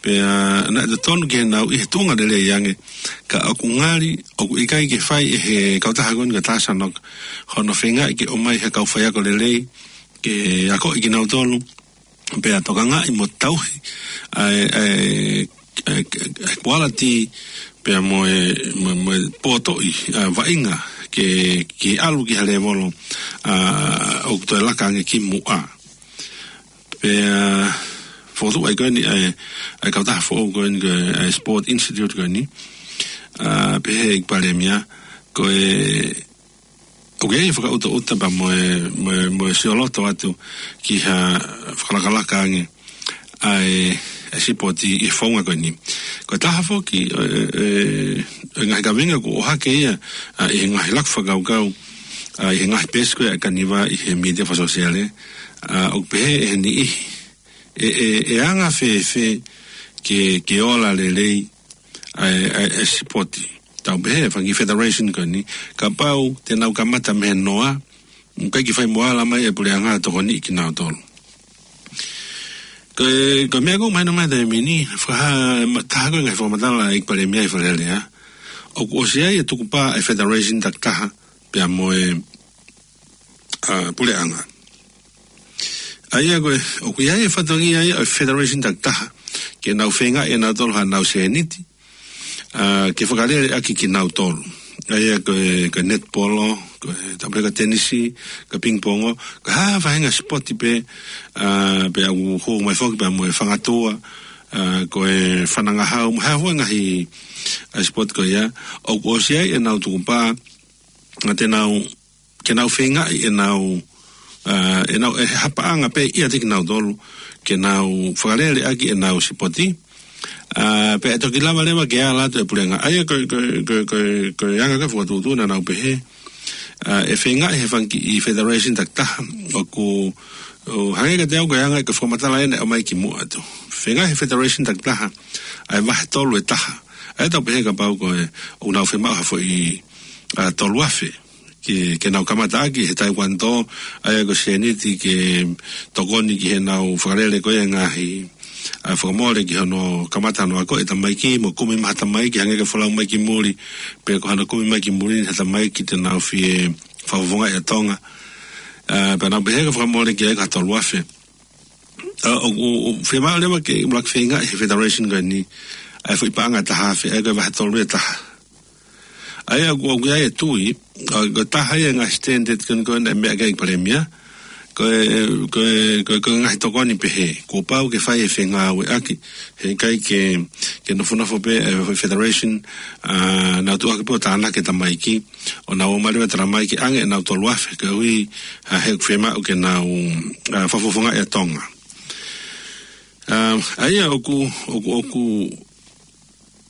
pea naʻe totonu ke nau ʻi he tuʻunga lelei ange, ka ʻoku ngali, ʻoku ʻikai ke fai ʻe he kautaha ko eni ko e TASANOC hono feingaʻi ke ʻomai ha kau faiako lelei, ke akoʻi kinautolu, pea tokangaʻi mo tauhi ʻa e, ʻa e, ʻa e, ʻa e quality pea mo e, mo, mo e potoʻi, ʻa, vaʻinga ke, ke ʻalu ki ha lēvolo, ʻa, ʻoku toe laka ange ki muʻa. Pea fokotuʻu ai ko eni ʻa e, ʻa e kautaha foʻou ko eni ko e, ʻa e Sport Institute ko eni, ʻa, pehē ʻe he ʻEiki Palēmia, ko e ʻoku ʻi ai e fakaʻutaʻuta pea mo e, mo e, mo e sioloto atu ki ha fakalakalaka ange ʻa e, e sipoti ʻi he founga ko eni. Ko e taha foki, ʻe, ʻe, ʻe ngaahi kaveinga kuo ʻohake ia, ʻa, ʻi he ngaahi laku fakakaukau, ʻa, ʻi he ngaahi peesi ko ē ʻa e kaniva ʻi he mītia fakasōsiale, ʻa, ʻoku pehē ʻe he niʻihi, ʻe, ʻe, ʻe anga fēfē ke, ke ola lelei ʻa e, ʻa e, e sipoti. Tau pehē, fanga federation ko eni, kapau te nau kamata mei he noa, ʻikai ke fai mo ala mai e puleʻanga ʻo tokoniʻi kinautolu. Ko e, ko e meʻa ʻoku mahino mai he taimi ni, fakahā, ma-, taha ko e ngaahi fakamatala ʻa e ʻEiki Palēmia ʻi Fale Alea, ʻoku ʻosi ʻi ai e tukupā e federation takitaha, pea mo e, ʻa, puleʻanga. ʻA ia ko e, ʻoku ʻi ai e fatongia ia ʻo e federation takitaha, ke nau feingaʻi ʻe nautolu haʻanau sēniti, ʻa, ke fakalele ʻaki kinautolu. ʻA ia ko e, ko e netipolo, ko e tāpuleka tenisi, ko e pingipongo, ko e hā ha faʻahinga sipoti pē, ʻa, pea ʻoku hū mai foki pea mo e fangatua, ʻa, ko e fanangahau, mo e hā fua e ngaahi, ʻa, sipoti ko ia, ʻoku ʻosi ʻi ai ʻenau tukupā, ʻa, te nau ke nau feingaʻi ʻenau, ʻa, ʻenau, ʻe he paʻanga pē ʻiate kinautolu, ke nau fakalele ʻaki ʻenau sipoti. ʻA, pea ʻe toki lava leva ke ala atu e puleʻanga. ʻA ia ko e, ko e, ko e, ko e, ko e anga ko ē e fokotuʻutuʻu naʻa nau pehē, ʻa, ʻe feingaʻi he fanga kiʻi federation takitaha, ʻoku, ʻo hangē kiate au ko e anga ko e fakamatala ʻeni ʻoku ʻomai ki muʻa atu. Feingaʻi he federation takitaha, ʻa e vahe tolu ʻe taha. ʻA ia tau pehē kapau ko e, ʻoku nau fiemaʻu ha foʻi, ʻa, tolu afe ke, ke nau kamata ʻaki he taekwondo, ʻa ia ko e sēniti ke tokoni ki heʻenau fakalele ko ia e ngaahi, ʻa, fakamole ki hono kamata hono ako e tamaiki, mo kumi mai ha tamaiki, hangē ko e folau mai ki muli, pe ko hano kumi mai ki muli ni ha tamaiki te nau fie fakafofongaʻi ʻa Tonga. ʻA, pea nau pehē ko e fakamole ki ai ko e tolu afe. ʻA, ʻoku, ʻoku, ʻoku fiemaʻu leva ke ʻuluaki feingaʻi he federation ko eni, ʻa e foʻi paʻanga ʻe taha afe, ʻa ia ko e vahe tolu ʻe taha. ʻA ia ʻoku, ʻoku ʻi ai e tui, ʻa, ko e taha ia e ngaahi standard ko eni ko ē naʻe meʻa ki ai e palēmia, ko e, ko e, ko e, ko e ngaahi tokoni pehē, kuo pau ke fai e fengāueʻaki, heʻikai ke, ke nofonofo pē e federation, ʻa, nau tuʻu hake pē ʻo tānaki e tamaiki, ʻo nau ō mai leva e tala mai ke ʻange ʻenau tolu afe, koeʻuhi, ʻa, he ʻoku fiemaʻu ke nau, ʻa, fakafofongaʻi ʻa Tonga. ʻA, ʻa ia ʻoku, ʻoku, ʻoku,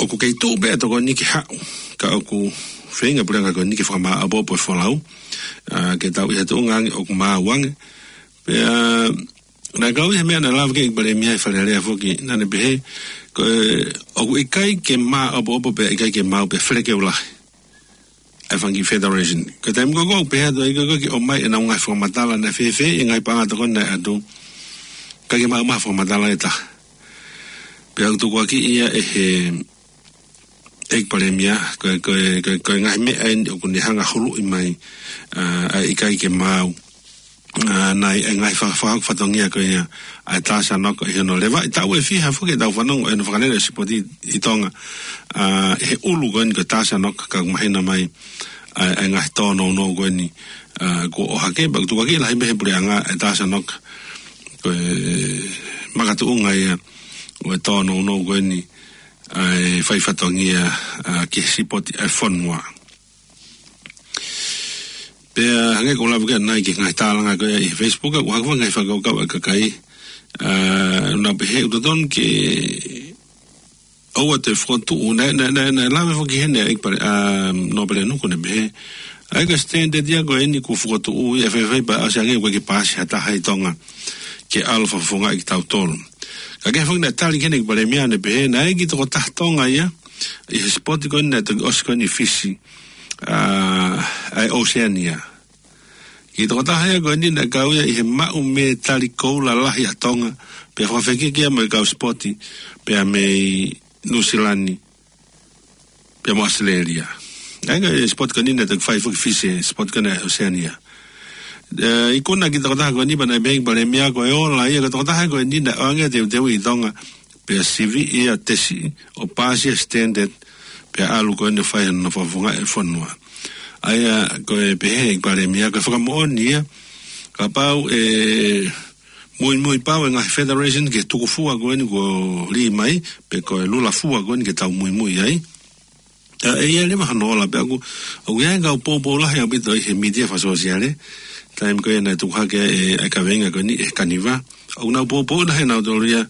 ʻoku kei tuʻu pē ʻa e tokoni ke haʻu, ka ʻoku feinga e puleʻanga ko eni ke fakamāʻopoʻopo e folau, ʻa, ke tau ʻi ha tuʻunga ange ʻoku maau ange. Pea, naʻe kau ʻi he meʻa naʻe lave ki ai e palēmia ʻi Fale Alea foki, naʻa ne pehē, ko e, ʻoku ʻikai ke māʻopoʻopo pea ʻikai ke maau pea felekeu lahi ʻa e fanga kiʻi federation. Ko e taimi ko ē ʻoku pehē atu ai ko ē ke ʻomai ʻenau ngaahi fakamatala naʻe fēfē e ngaahi paʻanga tokoni naʻe ʻatu, ʻikai ke maʻu mai ha fakamatala ʻe taha. Pea ʻoku tukuakiʻi ia ʻe he, ʻe he palēmia, ko e, ko e, ko e, ko e ngaahi meʻa eni ʻoku ne hanga ʻo huluʻi mai, ʻa, ʻa e ʻikai ke maau, ʻa, ʻa e ngaahi fa-, fakahoko fatongia ko ia ʻa e TASANOC ʻi hono levaʻi taʻu ʻe fiha foki ʻetau fanongo ʻi hono fakalele e sipoti ʻi Tonga, ʻa, ʻi he ʻulu ko eni ko e TASANOC ka ʻoku mahino mai, ʻa e, ʻa e ngaahi tōnounou ko eni, ʻa, kuo ʻohake, pea ʻoku tukuakiʻi lahi mei he puleʻanga ʻe Tasa Noka. Ko e makatuʻunga ia ʻo e tōnounou ko eni, ʻa e fai fatongia, ʻa, ki he sipoti ʻa e fonua. Pea hangē ko ʻeku lave ki ai ʻanenai ki he ngaahi tālanga ko ia ʻi he Facebook, ʻoku hake fanga ngaahi fakakaukau ʻa e kakai, ʻa, ʻoku nau pehē ʻoku totonu ke ʻoua te fokotuʻu, naʻe, naʻe, naʻe, naʻe lave foki heni ʻa e ʻEiki Pale-, ʻa, Nōpele Nuku, naʻe pehē, ʻa e ko e standard ia ko eni kuo fokotuʻu ia, faifai pea ʻosi ange ʻoku ʻikai ke paasi ha taha ʻi Tonga ke ʻalu ʻo fakafofongaʻi kitautolu. Ka ko e foki naʻe tali ki heni ʻEiki Palēmia, naʻe pehē, naʻe ʻi ai e kiʻi tokotaha Tonga ia ʻi he sipoti ko eni naʻe toki ʻosi ko eni ʻi Fisi, ʻa, ʻa e Oceania. Kiʻi tokotaha ia ko eni naʻe kau ia ʻi he maʻu mētali koula lahi ʻa Tonga, pea fakafekiki ia mo e kau sipoti, pea mei Nuʻusila ni, pea mo ʻAositelēlia. ʻA ia ko e sipoti ko eni naʻe toki fai foki ʻi Fisi, sipoti ko ena Oceania. ʻE, ikuna e kiʻi tokotaha ko eni pea naʻe pehē ʻe he ʻEiki Palēmia ko e ola ia, ko e tokotaha ko eni naʻe ʻoange teuteu ʻi Tonga, pea sivi ia tesi ʻo paasi e standard, pea ʻalu ko eni ʻo fai hono fakafofongaʻi e fonua. ʻA ia ko e pehē ʻe he ʻEiki Palēmia ko e fakamoʻoni ia, kapau ʻe muimui pau e ngaahi federation ki he tukufua ko eni kuo lī mai, pe ko e lula fua ko eni ke tau muimui ai. ʻA, ʻe ʻi ai leva hono ola pea ʻoku, ʻoku ʻi ai e kau poupou lahi ʻaupito ʻi he mītia fakasōsiale, taimi ko ia naʻe tuku hake ai e, e kaveinga ko eni ʻe he Kaniva. ʻOku nau poupou lahi ʻe nautolu ia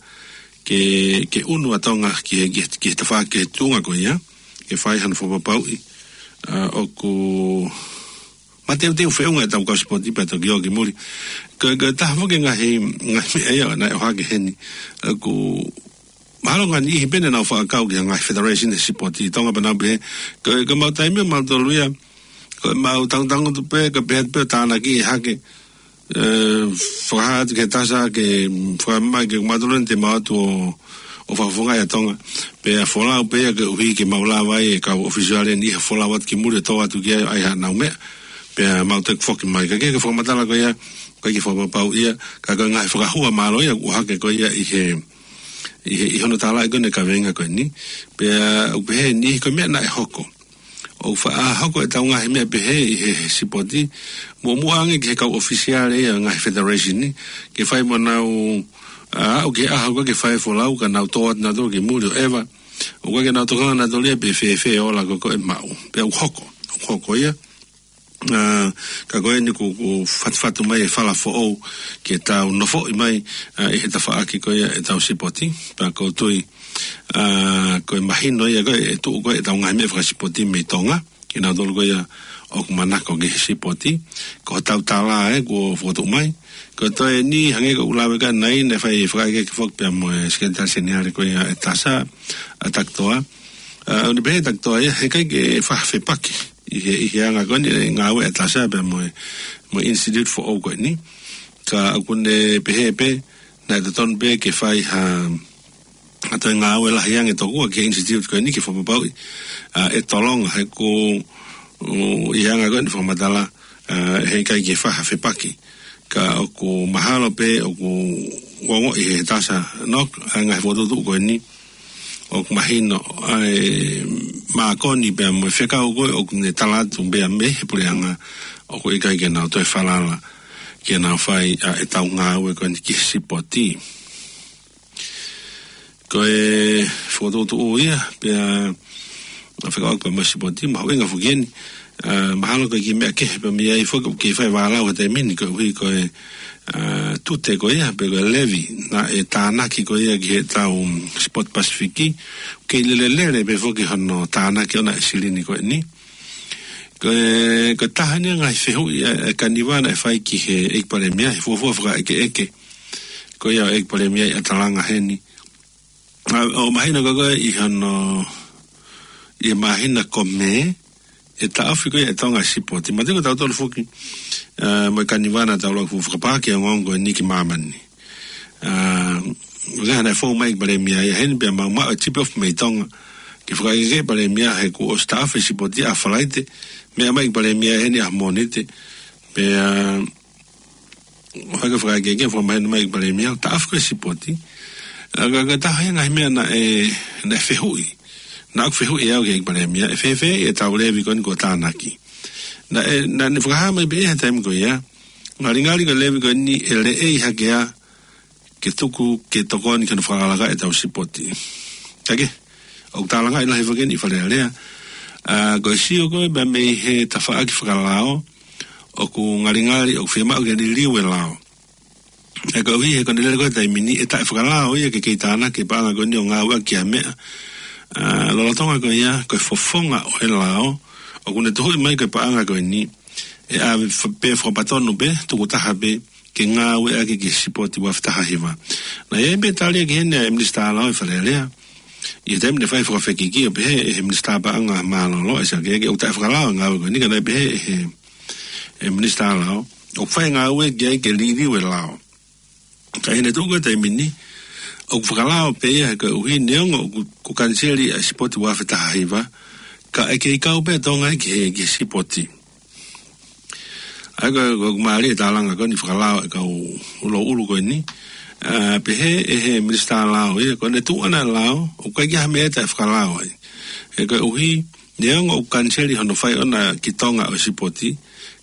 ke, ke ʻunu ʻa Tonga ki he, ki he, ki he tafa-, ki he tuʻunga ko ia, ke fai hano fakapapauʻi, ʻa, ʻoku mateuteu feʻunga ʻetau kau sipoti pea toki ō ki muli. Ko, ko e taha foki e ngaahi, ngaahi meʻa ia naʻe ʻohake heni. ʻOku mahalo ngaahi niʻihi pē naʻa nau fakakau ki he ngaahi federation ʻo e sipoti ʻi Tonga pea nau pehē, ko, ko ʻemau taimi ʻo mautolu ia, ko ʻemau tangutangutu pē, ko e pehē pē ʻo tānaki ʻe hake, ʻe, fakahā atu ki he Tasa ke fakamai ke mautolu eni te mau ō atu ʻo, ʻo fakafofongaʻi ʻa Tonga. Pea folau pē ia koeʻuhi ke mau lava ai e kau ʻōfisiale ni ʻo folau atu ki muli ʻo tō atu ki ai ʻa e haʻanau meʻa. Pea mau toe foki mai. Ka ko e fakamatala ko ia, ʻoku ʻikai ke fakapapauʻi ia, ka ko e ngaahi fakahua mālohi ia ʻoku ʻohake ko ia ʻi he, ʻi he, ʻi hono tālaʻi ko eni e kaveinga ko eni. Pea ʻoku pehē ʻe he niʻihi ko e meʻa naʻe hoko. ʻOku faʻa hoko ʻetau ngaahi meʻa pehē ʻi he, he sipoti, muʻomuʻa ange ki he kau ʻōfisiale ia ʻo e ngaahi federation ni, ke fai mo nau, ʻa, aʻu ki he ʻaho ko ē ke fai e folau ka nau tō atu nautolu ki muli ʻo ʻeva. ʻOku ʻikai ke nau tokanga nautolu ia pe fēfē e ola ko ē ʻoku maʻu. Pea ʻoku hoko, ʻoku hoko ia. ʻA, ka ko eni kuo, kuo fatufatu mai e fala foʻou ke tau nofoʻi mai, ʻa, ʻi he tafaʻaki ko ia ʻetau sipoti. Pea ʻoku ou tui, ʻa, ko e mahino ia ko ē ʻe tuʻu ko ē ʻetau ngaahi meʻa fakasipoti mei Tonga, kinautolu ko ia ʻoku manako ki he sipoti. Ko hotau tala ē kuo fokotuʻu mai. Ko e toe eni hangē ko ʻeku lave ki ai ʻanenai, naʻe fai e fakaʻekeʻeke foki pea mo e Sekelitali Seniale ko ia ʻe Tasa, ʻa Takitoa. ʻA, ʻoku ne pehē ʻe Takitoa ia, heʻikai ke faʻa fepaki ʻi he, ʻi he anga ko eni e ngāue ʻa Tasa pea mo e, mo e institute foʻou ko eni. Ka ʻoku ne pehē pē, naʻe totonu pē ke fai ha, ha toe ngāue lahi ange tokua ki he institute ko eni ke fakapapauʻi, ʻa, ʻe tolonga he ko, ʻo, ʻi he anga ko eni fakamatala, ʻa, heʻikai ke faʻa fepaki. Ka ʻoku mahalo pē, ʻoku ongoʻi ʻe he Tasa Noka, ʻa e ngaahi fokotuʻutuʻu ko eni, ʻoku mahino, ʻa e mākoni pea mo e fekau ko ē ʻoku ne tala atu pea mei he puleʻanga, ʻoku ʻikai ke nau toe falala ke nau fai, ʻa, ʻetau ngāue ko eni ki he sipoti. Ko e fokotuʻutuʻu ia, pea, ʻa, fekauʻaki pea mo e sipoti, mahuʻinga foki eni, ʻa, mahalo ko e kiʻi meʻa kehe pē mei ai foki, ʻoku kei fai vālau he taimi ni koeʻuhi ko e, ʻa, tute ko ia, pe ko e levy, naʻe tānaki ko ia ki heʻetau, mm, sipoti Pasifiki, kei lelelele pē foki hono tānaki ʻona e silini ko eni. Ko e, ko e taha eni e ngaahi fehuʻi ʻa, ʻa e Kaniva naʻe fai ki he ʻEiki Palēmia, he fuofua fakaʻekeʻeke ko ia ʻa e ʻEiki Palēmia ʻi ʻAtalanga heni. ʻA, ʻoku mahino ko ē ʻi hono, ʻi he māhina ko Mē, ʻe taʻofi ko ia ʻe Tonga e sipoti. Manatuʻi ko tautolu foki, ʻa, mo e Kaniva naʻa tau lava ʻo fakapā ki he ongoongo ko eni ki māmani. ʻA, ʻoku ʻi ai hano fou mai ʻEiki Palēmia ia heni pea mau maʻu e tip off mei Tonga. Ke fakaʻekeʻeke ʻe he Palēmia he kuo ʻosi taʻofi e sipoti ʻa Falaite. Meʻa mai ʻEiki Palēmia heni ʻa Mōnite. Pea, ʻa, ʻoku ʻikai ke fakaʻekeʻeke, fakamahino mai ʻEiki Palēmia, taʻofi ko ē e sipoti. ʻA, ka, ka taha ia e ngaahi meʻa naʻe, naʻe fehuʻi. Naʻa ku fehuʻi au ki he ʻEiki Palēmia, ʻe fēfē ʻetau levy ko eni kuo tānaki. Naʻe, naʻa ne fakahā mai pē he taimi ko ia, ngalingali ko e lēvolo ko eni ʻe leʻei hake ia ke tuku ke tokoni ki hono fakalakalaka ʻetau sipoti. Kae kehe, ʻoku tālangaʻi lahi foki eni ʻi Fale Alea. ʻA, ko e sio ko ē pea mei he tafaʻaki fakalao, ʻoku ngalingali, ʻoku fiemaʻu ke liliu e lao. ʻE koeʻuhi he ko ʻene lele ko ē he taimi ni ʻe taʻefakalao ia ke kei tānaki e paʻanga ko eni ʻo ngāueʻaki ki ha meʻa. ʻA, lolotonga ko ia, ko e fofonga ʻo e lao, ʻoku ne tuhuʻi mai ko e paʻanga ko eni, ʻe ʻave fa-, pē fakapatonu pē, tukutaha pē, ke ngāueʻaki ki he sipoti ua afe taha hiva. Naʻe ʻi ai pē tali ki heni ʻa e Minisitā Lao ʻi Fale Alea. ʻI he taimi naʻe fai fakafekiki ʻo pehē ʻe he Minisitā Paʻanga Mālōlō, ʻe Siakeake, ʻoku taʻefakalao e ngāue ko eni, ka naʻe pehē ʻe he, ʻe he Minisitā Lao, ʻoku fai e ngāue ki ai ke liliu e lao. Ka ʻi heʻene tuʻu ko ē he taimi ni, ʻoku fakalao pē ia he koeʻuhi neongo ʻoku, kuo kaniseli ʻa e sipoti ua afe taha hiva, ka ʻe kei kau pē ʻa Tonga ki he, ki he sipoti. ʻA ia ko, ko e mālie e tālanga ko eni fakalao ʻa e kau ʻuluʻulu ko eni. ʻA, pehē ʻe he Minisitā Lao ia, ko ʻene tuʻu ʻana e lao, ʻoku ʻikai ke ʻi ai ha meʻa ia ʻe taʻefakalao ai. He koeʻuhi, neongo ʻoku kaniseli hono fai ʻona ki Tonga ʻo e sipoti,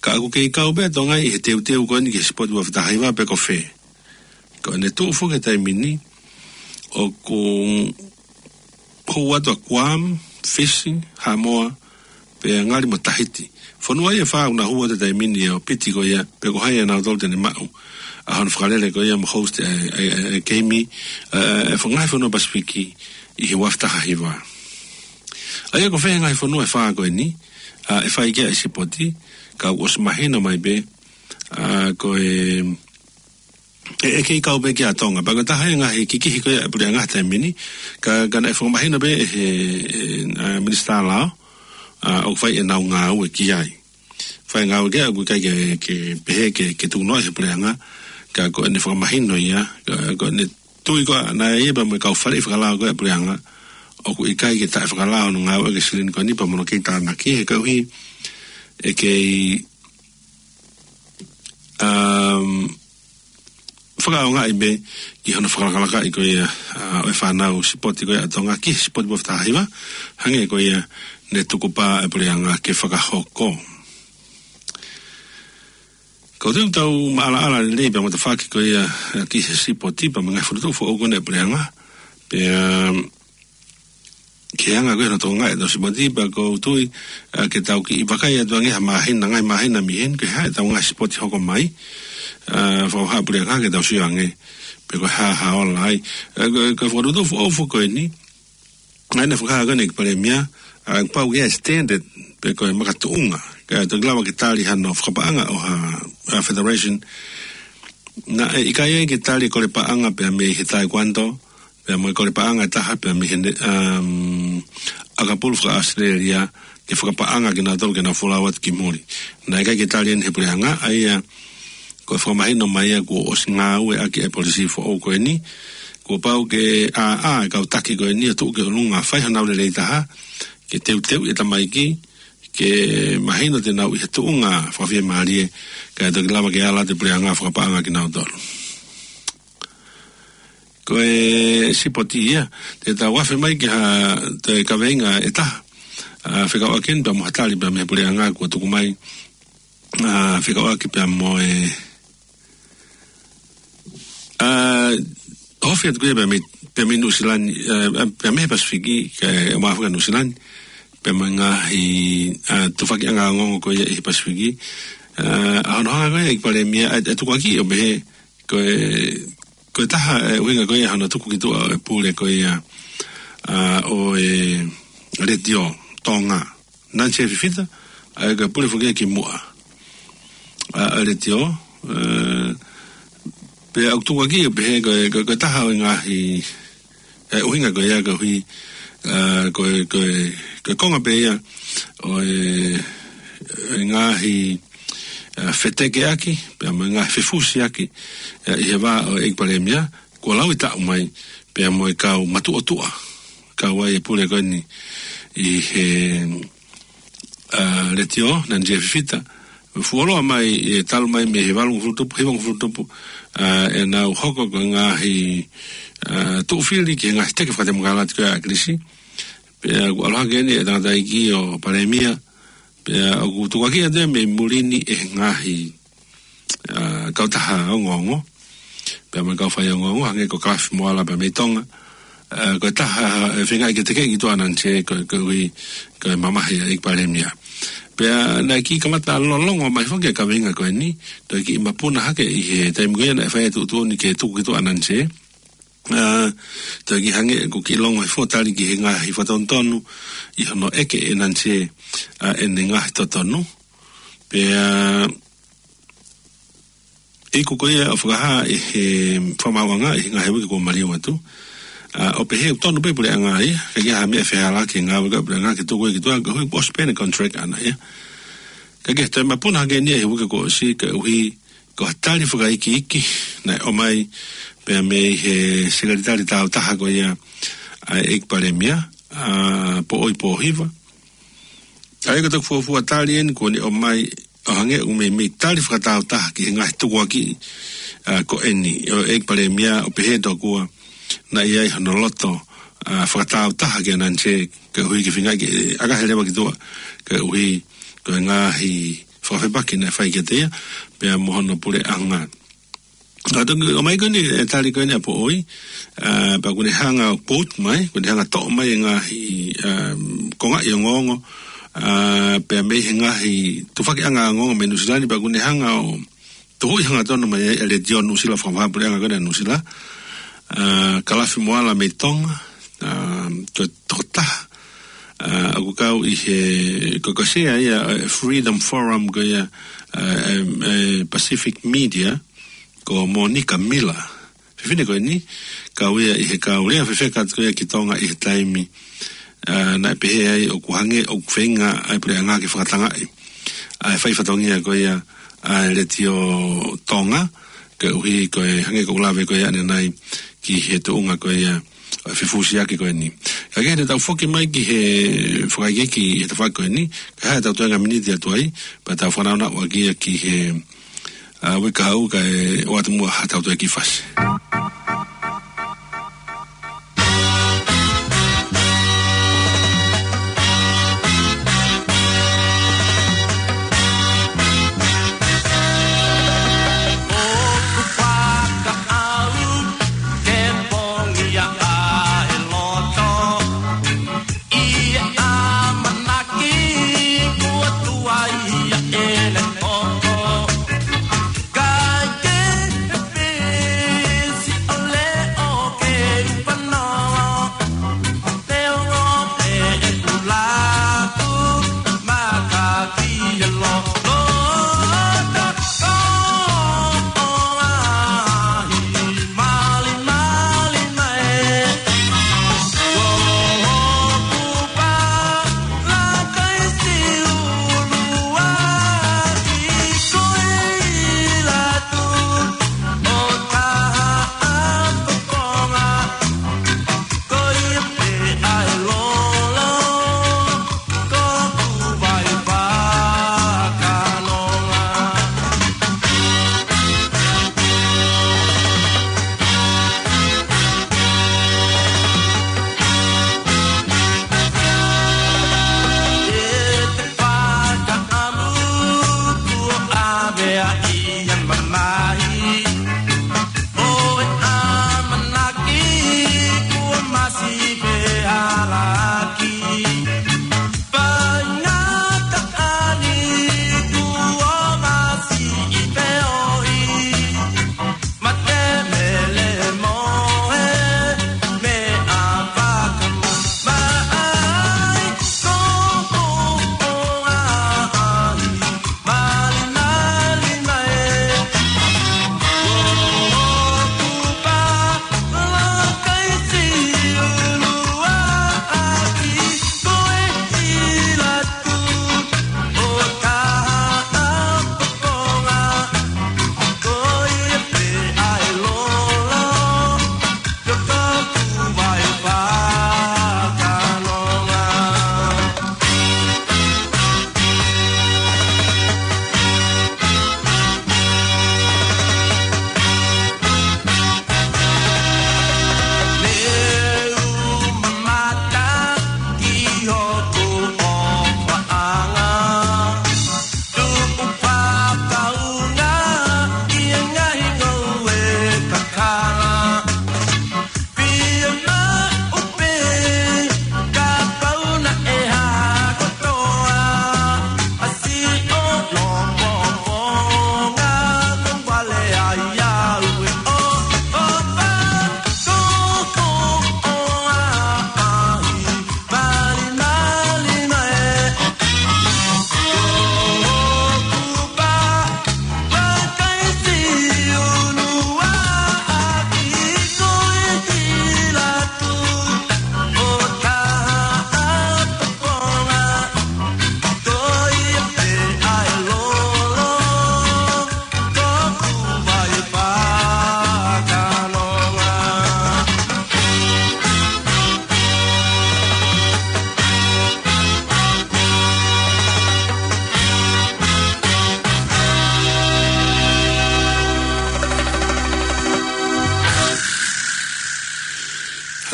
ka ʻoku kei kau pē ʻa Tonga ʻi he teuteu ko eni ki he sipoti ua afe taha hiva pe ko fē. Ko ʻene tuʻu foki he taimi ni, ʻoku hū atu ʻa Guam, Fisi, Haʻamoa, pea ngali mo Tahiti. Fonua ia ʻe fā ʻoku na hū atu he taimi ni ʻo piti ko ia, pe ko hai ʻe nautolu te ne maʻu ʻa hono fakalele ko ia mo host e, e, e, e keimi, e, e, e ngaahi fonua Pasifiki ʻi he ua afe taha hiva. ʻA ia ko fē ngaahi fonua ʻe fā ko eni, ʻa, ʻe fai ki ai e sipoti, ka ʻoku ʻosi mahino mai pē, ʻa, ko e, ʻe, ʻe kei kau pē ki ai ʻa Tonga. Pea ko e taha e ngaahi kikihi ko ia ʻa e puleʻanga he taimi ni, ka, ka naʻe fakamahino pē ʻe he, ʻe, ʻa, Minisitā Lao, ʻa, ʻoku fai ʻenau ngāue ki ai. Fai ngāue ki ai, ʻoku ʻikai ke, ke pehē ke, ke tuku noa ʻe he puleʻanga, ka ko ʻene fakamahino ia, ka, ko ʻene tui ko ē naʻe ʻi ai pē mo e kau faleʻi fakalao ko ē ʻa e puleʻanga, ʻoku ʻikai ke taʻefakalao hono ngāueʻaki e silini ko eni pea mo hono kei tānaki he koeʻuhi, ʻe kei, um, fakaʻaongaʻi pē ki hono fakalakalakaʻi ko ia, ʻa, ʻo e fānau sipoti ko ia ʻa Tonga ki he sipoti ua afe taha hiva, hangē ko ia ne tukupā ʻa e puleʻanga ke fakahoko. Ka ʻoku tau maʻalaʻala lelei pē ʻa e matafaki ko ia, ʻa, ki he sipoti pea mo e ngaahi fokotuʻu foʻou ko eni ʻa e puleʻanga. Pea, um, ke hanga ko ē hono tokangaʻi ʻetau sipoti pea ʻoku ou tui, ʻa, ke tau kiʻi vakai atu ange ha māhina, ngaahi māhina mei heni, ko e hā ʻetau ngaahi sipoti hoko mai, ʻa, fakahā ʻe he puleʻanga ke tau sio ange, pe ko e hā ha ola ai. ʻA, ko, ko e fokotuʻu foʻou foki ko eni, naʻe fakahā ko eni ʻe he Palēmia, ʻa, pau ke ʻi ai e standard, pe ko e makatuʻunga, kae toki lava ke tali hano fakapaʻanga ʻo ha, ʻa, federation, naʻe ʻikai ai ke tali e kole paʻanga pea mei he taekwondo, pea mo e kole paʻanga ʻe taha pea mei he ne-, um, ʻakapulu faka-ʻAositelēlia ke fakapaʻanga kinautolu ke nau folau atu ki muli. Naʻe ʻikai ke tali eni ʻe he puleʻanga, ʻa ia ko e fakamahino mai ia kuo ʻosi ngāueʻaki e polisī foʻou ko eni, kuo pau ke ʻā, ʻā, e kau taki ko eni ʻo tuʻu ki ʻolunga fai honau lelei taha, ke teuteuʻi e tamaiki, ke mahino te nau ʻi he tuʻunga fakafiemālie, kae toki lava ke ala atu e puleʻanga fakapaʻanga kinautolu. Ko e sipoti ia, te tau afe mai ki ha toe kaveinga ʻe taha, ʻa, fekauʻaki eni pea mo ha tali pea mei he puleʻanga kuo tuku mai, ʻa, fekauʻaki pea mo e, ʻa, ofi atu ko ia pea mei, pea mei Nuʻu Sila ni, ʻa, pea mei he Pasifiki, kae ʻumaʻā foki ʻa Nuʻu Sila ni, pea mo e ngaahi, ʻa, tufakiʻanga ongoongo ko ia ʻi he Pasifiki. ʻA, ʻa hono hanga ko ia ʻe he Palēmia, ʻa, ʻa e tukuakiʻi ʻo pehē, ko e, ko e taha e ʻuhinga ko ia hono tuku ki tuʻa ʻo e pule ko ia, ʻa, ʻo e Letiō Tonga. Nancy Fifita, ʻa ia ko e pule foki ia ki muʻa, ʻa, ʻa e Letiō, ʻa, pea ʻoku tukuakiʻi ʻo pehē ko e, ko e, ko e taha ʻo e ngaahi, e ʻuhinga ko ia koeʻuhi, ʻa, ko e, ko e, ko e konga pē ia ʻo e, e ngaahi, ʻa, fetekeʻaki, pea mo e ngaahi fefusiaki, ʻa, ʻi he vā ʻo e ʻEiki Palēmia, kuo lau e taʻu mai, pea mo e kau matuʻotuʻa, kau ai e pule ko eni ʻi he, ʻa, Letiō, Nancy Fifita, fuoloa mai, ʻe talu mai mei he valungofulu tupu, hivangofulu tupu, ʻa, ʻenau hoko ko e ngaahi, ʻa, tuʻufili ki he ngaahi teke fakatemokalati ko ia ʻa ʻAkilisi. Pea kuo ʻalu hake eni e tangataʻeiki ʻo Palēmia, ʻIa, ʻoku tukuakiʻi atu ia mei muli ni ʻe he ngaahi, ʻa, kautaha ongoongo. Pea mo e kau faiongoongo, hangē ko Kalafi Moala pea mei Tonga. ʻA, ko e taha, ʻe feinga ke tekeʻi ki tuʻa ʻa Nansē, ko, koeʻuhi, ko e mamahi ʻa e ʻEiki Palēmia. Pea naʻe kiʻi kamata lōloa mai foki e kaveinga ko eni, toe kiʻi mapuna hake ʻi he taimi ko ia naʻe fai e tuʻutuʻuni ke tuku ki tuʻa ʻa Nansē. ʻA, toe kiʻi hangē ʻoku kiʻi longo hifo tali ki he ngaahi fakatonutonu ʻi hono ʻeke ʻe Nansē, ʻa, ʻene ngaahi totonu. Pea, ʻa, iku ko ia ʻo fakahā ʻe he fakamaauʻanga ʻi he ngaahi uike kuo maliu atu. ʻA, ʻo pehē ʻoku tonu pē puleʻanga ia, ʻikai ke ʻi ai ha meʻa fehālaaki he ngāue ʻa e puleʻanga ke tuku ia ki tuʻa, koeʻuhi kuo ʻosi pē ʻene contract ʻana ia. Ka ke toe mapuna hake eni ʻi he uike kuo ʻosi, koeʻuhi ko ha tali fakaikiiki naʻe ʻomai pea mei he sekelitali tāutaha ko ia ʻa e ʻEiki Palēmia, ʻa, Poʻoi Pōhiva. ʻA ia ko e toki fuofua tali eni kuo ne ʻomai ʻo hangē ʻoku meimei tali fakatāutaha ki he ngaahi tukuakiʻi, ʻa, ko eni ʻo e ʻEiki Palēmia ʻo pehē tokua naʻe ʻi ai hono loto, ʻa, fakatāutaha kia Nansē koeʻuhi ke feinga ke ʻakahi leva ki tuʻa koeʻuhi ko e ngaahi fakafepaki naʻe fai kiate ia pea mo hono puleʻanga. ʻA, toki ʻomai ko eni e tali ko eni ʻa Poʻoi, ʻa, pea ʻoku ne hanga ʻo quote mai, ʻoku ne hanga ʻo toʻo mai e ngaahi, ʻa, kongaʻi ongoongo, ʻa, pea mei he ngaahi tufakiʻanga ongoongo mei Nuʻusila ni, pea ʻoku ne hanga ʻo tuhuʻi hangatonu mai ai e Letiō Nuʻusila, fakavahaʻapuleʻanga ko ena ʻa Nuʻusila, ʻa, Kalafi Moala mei Tonga, ʻa, ko e tokotaha, ʻa, ʻoku kau ʻi he, ko e, ko e sea ia, ʻa, Freedom Forum ko ia, ʻa, ʻa, ʻa, Pacific Media, ko Monica Miller. Fefine ko eni, kau ia ʻi he kau lea fefeka atu ko ia ki Tonga ʻi he taimi, ʻa, naʻe pehē ai ʻoku hangē ʻoku feinga ʻa e puleʻanga ke fakatangaʻi ʻa e fai fatongia ko ia ʻa e Letiō Tonga, koeʻuhi ko e hangē ko ʻeku lave ko ia ʻanenai ki he tuʻunga ko ia ʻo e fefusiaki ko eni. Ka ke ne tau foki mai ki he fakaikiiki he tafaʻaki ko eni, ka hā ʻetau toenga miniti atu ai, pea tau fanongo atu ai ki he, ʻa, uike kahaʻu kae ʻoatu muʻa haʻatau toe kiʻi fasi.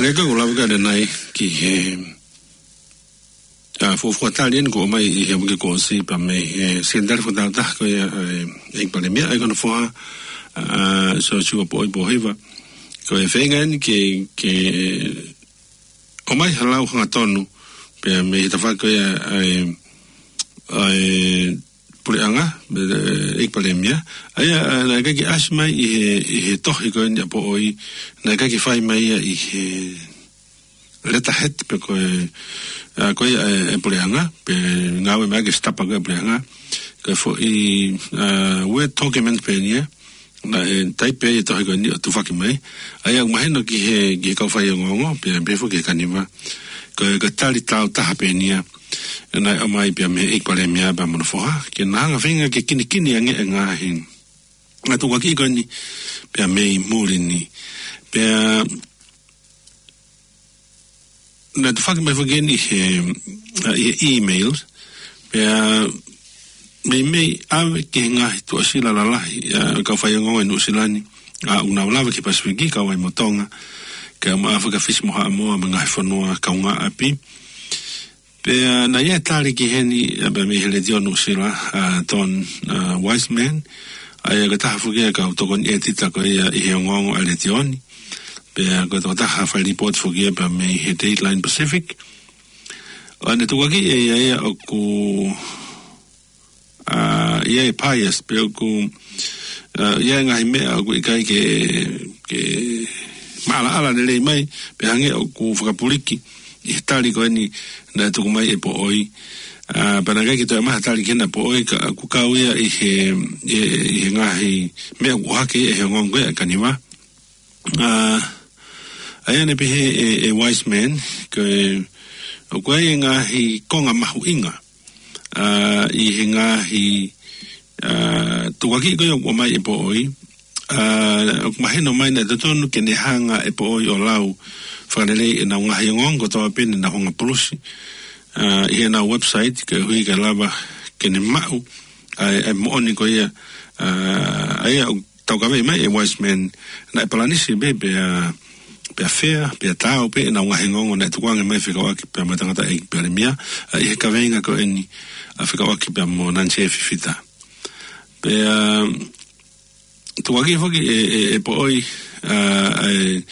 ʻE ka ko e lava ka ʻanenai ki he, ʻa, fuofua tali eni kuo ʻomai ʻi he uike kuo ʻosi pea mei he Sekelitali Fakatāutaha ko ia, ʻa e, ʻEiki Palēmia, ʻa ia ko hono foha, ʻa, Siosiua Poʻoi Pōhiva. Ko e feinga eni ke, ke ʻomai ha lau hangatonu pea mei he tafaʻaki ko ia, ʻa e, ʻa e, puleʻanga, ʻe, ʻEiki Palēmia. ʻA ia, ʻa, naʻe ʻikai ke ʻasi mai ʻi he, ʻi he tohi ko eni ʻa Poʻoi, naʻe ʻikai ke fai mai ia ʻi he letterhead pe ko e, ʻa, ko ia ʻa e, ʻa e puleʻanga, pe ngāue mai ke stamp ko ia ʻa e puleʻanga. Ko e foʻi, ʻa, Word document pē eni ia, naʻe taipe ʻi he tohi ko eni ʻo tufaki mai. ʻA ia ʻoku mahino ki he, ki he kau faiongoongo, pea, pea foki ki he kaniva. Ko e, ko e tali tāutaha pē eni ia naʻe ʻomai pea mei he ʻEiki Palēmia pea mo hono foha, ke na hanga ʻo feinga ke kinikini ange e ngaahi, ngaahi tukuakiʻi ko eni pea mei muli ni. Pea naʻe tufaki mai foki eni he, ʻa, ʻi he email, pea meimei ʻave ki he ngaahi tuʻasila lalahi, ʻa, kau faiongoongo ʻi Nuʻusila ni, ʻa, ʻoku nau lava ki he Pasifiki, kau ai mo Tonga, kae ʻumaʻā foki ʻa Fisi mo Haʻamoa mo e ngaahi fonua kaungāʻapi. Pea naʻe ʻi ai e tali ki heni, ʻa, pea mei he Letiō Nuʻusila, ʻa, Don, ʻa, Wiseman, ʻa ia ko e taha foki ia e kau tokoni ʻētita ko ia ʻi he ongoongo ʻa e letiō ni. Pea ko e tokotaha fai lipooti foki ia pea mei he Dateline Pacific. ʻA, naʻe tukuakiʻi ʻe ia ia ʻoku, ʻa, ʻi ai e bias, pe ʻoku, ʻa, ʻi ai e ngaahi meʻa ʻoku ʻikai ke, ke maʻalaʻala lelei mai, pe hangē ʻoku fakapuliki ʻi he tali ko eni naʻe tuku mai ʻe Poʻoi. ʻA, pea naʻe ʻikai ke toe ʻomai ha tali ki hena ʻa Poʻoi, ka ʻoku kau ia ʻi he, ʻi he, ʻi he ngaahi meʻa ʻoku ʻohake ʻe he ongoongo ko ia ʻa e kaniva. ʻA, ʻa ia naʻe pehē ʻe, ʻe Wiseman, ko e, ʻoku ʻi ai e ngaahi konga mahuʻinga, ʻa, ʻi he ngaahi, ʻa, tukuakiʻi ko ia ʻoku ʻomai ʻe Poʻoi, ʻa, ʻoku mahino mai naʻe totonu ke ne hanga ʻe Poʻoi ʻo lau fakalelei ʻenau ngaahi ongoongo kotoa pē ne nau hanga ʻo pulusi, ʻa, ʻi heʻenau website, koeʻuhi ke lava ke ne maʻu ʻa e, ʻa e moʻoni ko ia, ʻa, ʻa ia ʻoku taukaveʻi mai ʻe Wiseman, naʻe palanisi pē pea, pea fair, pea taau pē ʻenau ngaahi ongoongo naʻe tukuange mai fekauʻaki pea mo e tangataʻeiki Palēmia, ʻa, ʻi he kaveinga ko eni, ʻa, fekauʻaki pea mo Nansie Fifita. Pea tukuakiʻi foki ʻe, ʻe, ʻe Poʻoi, ʻa, ʻa e,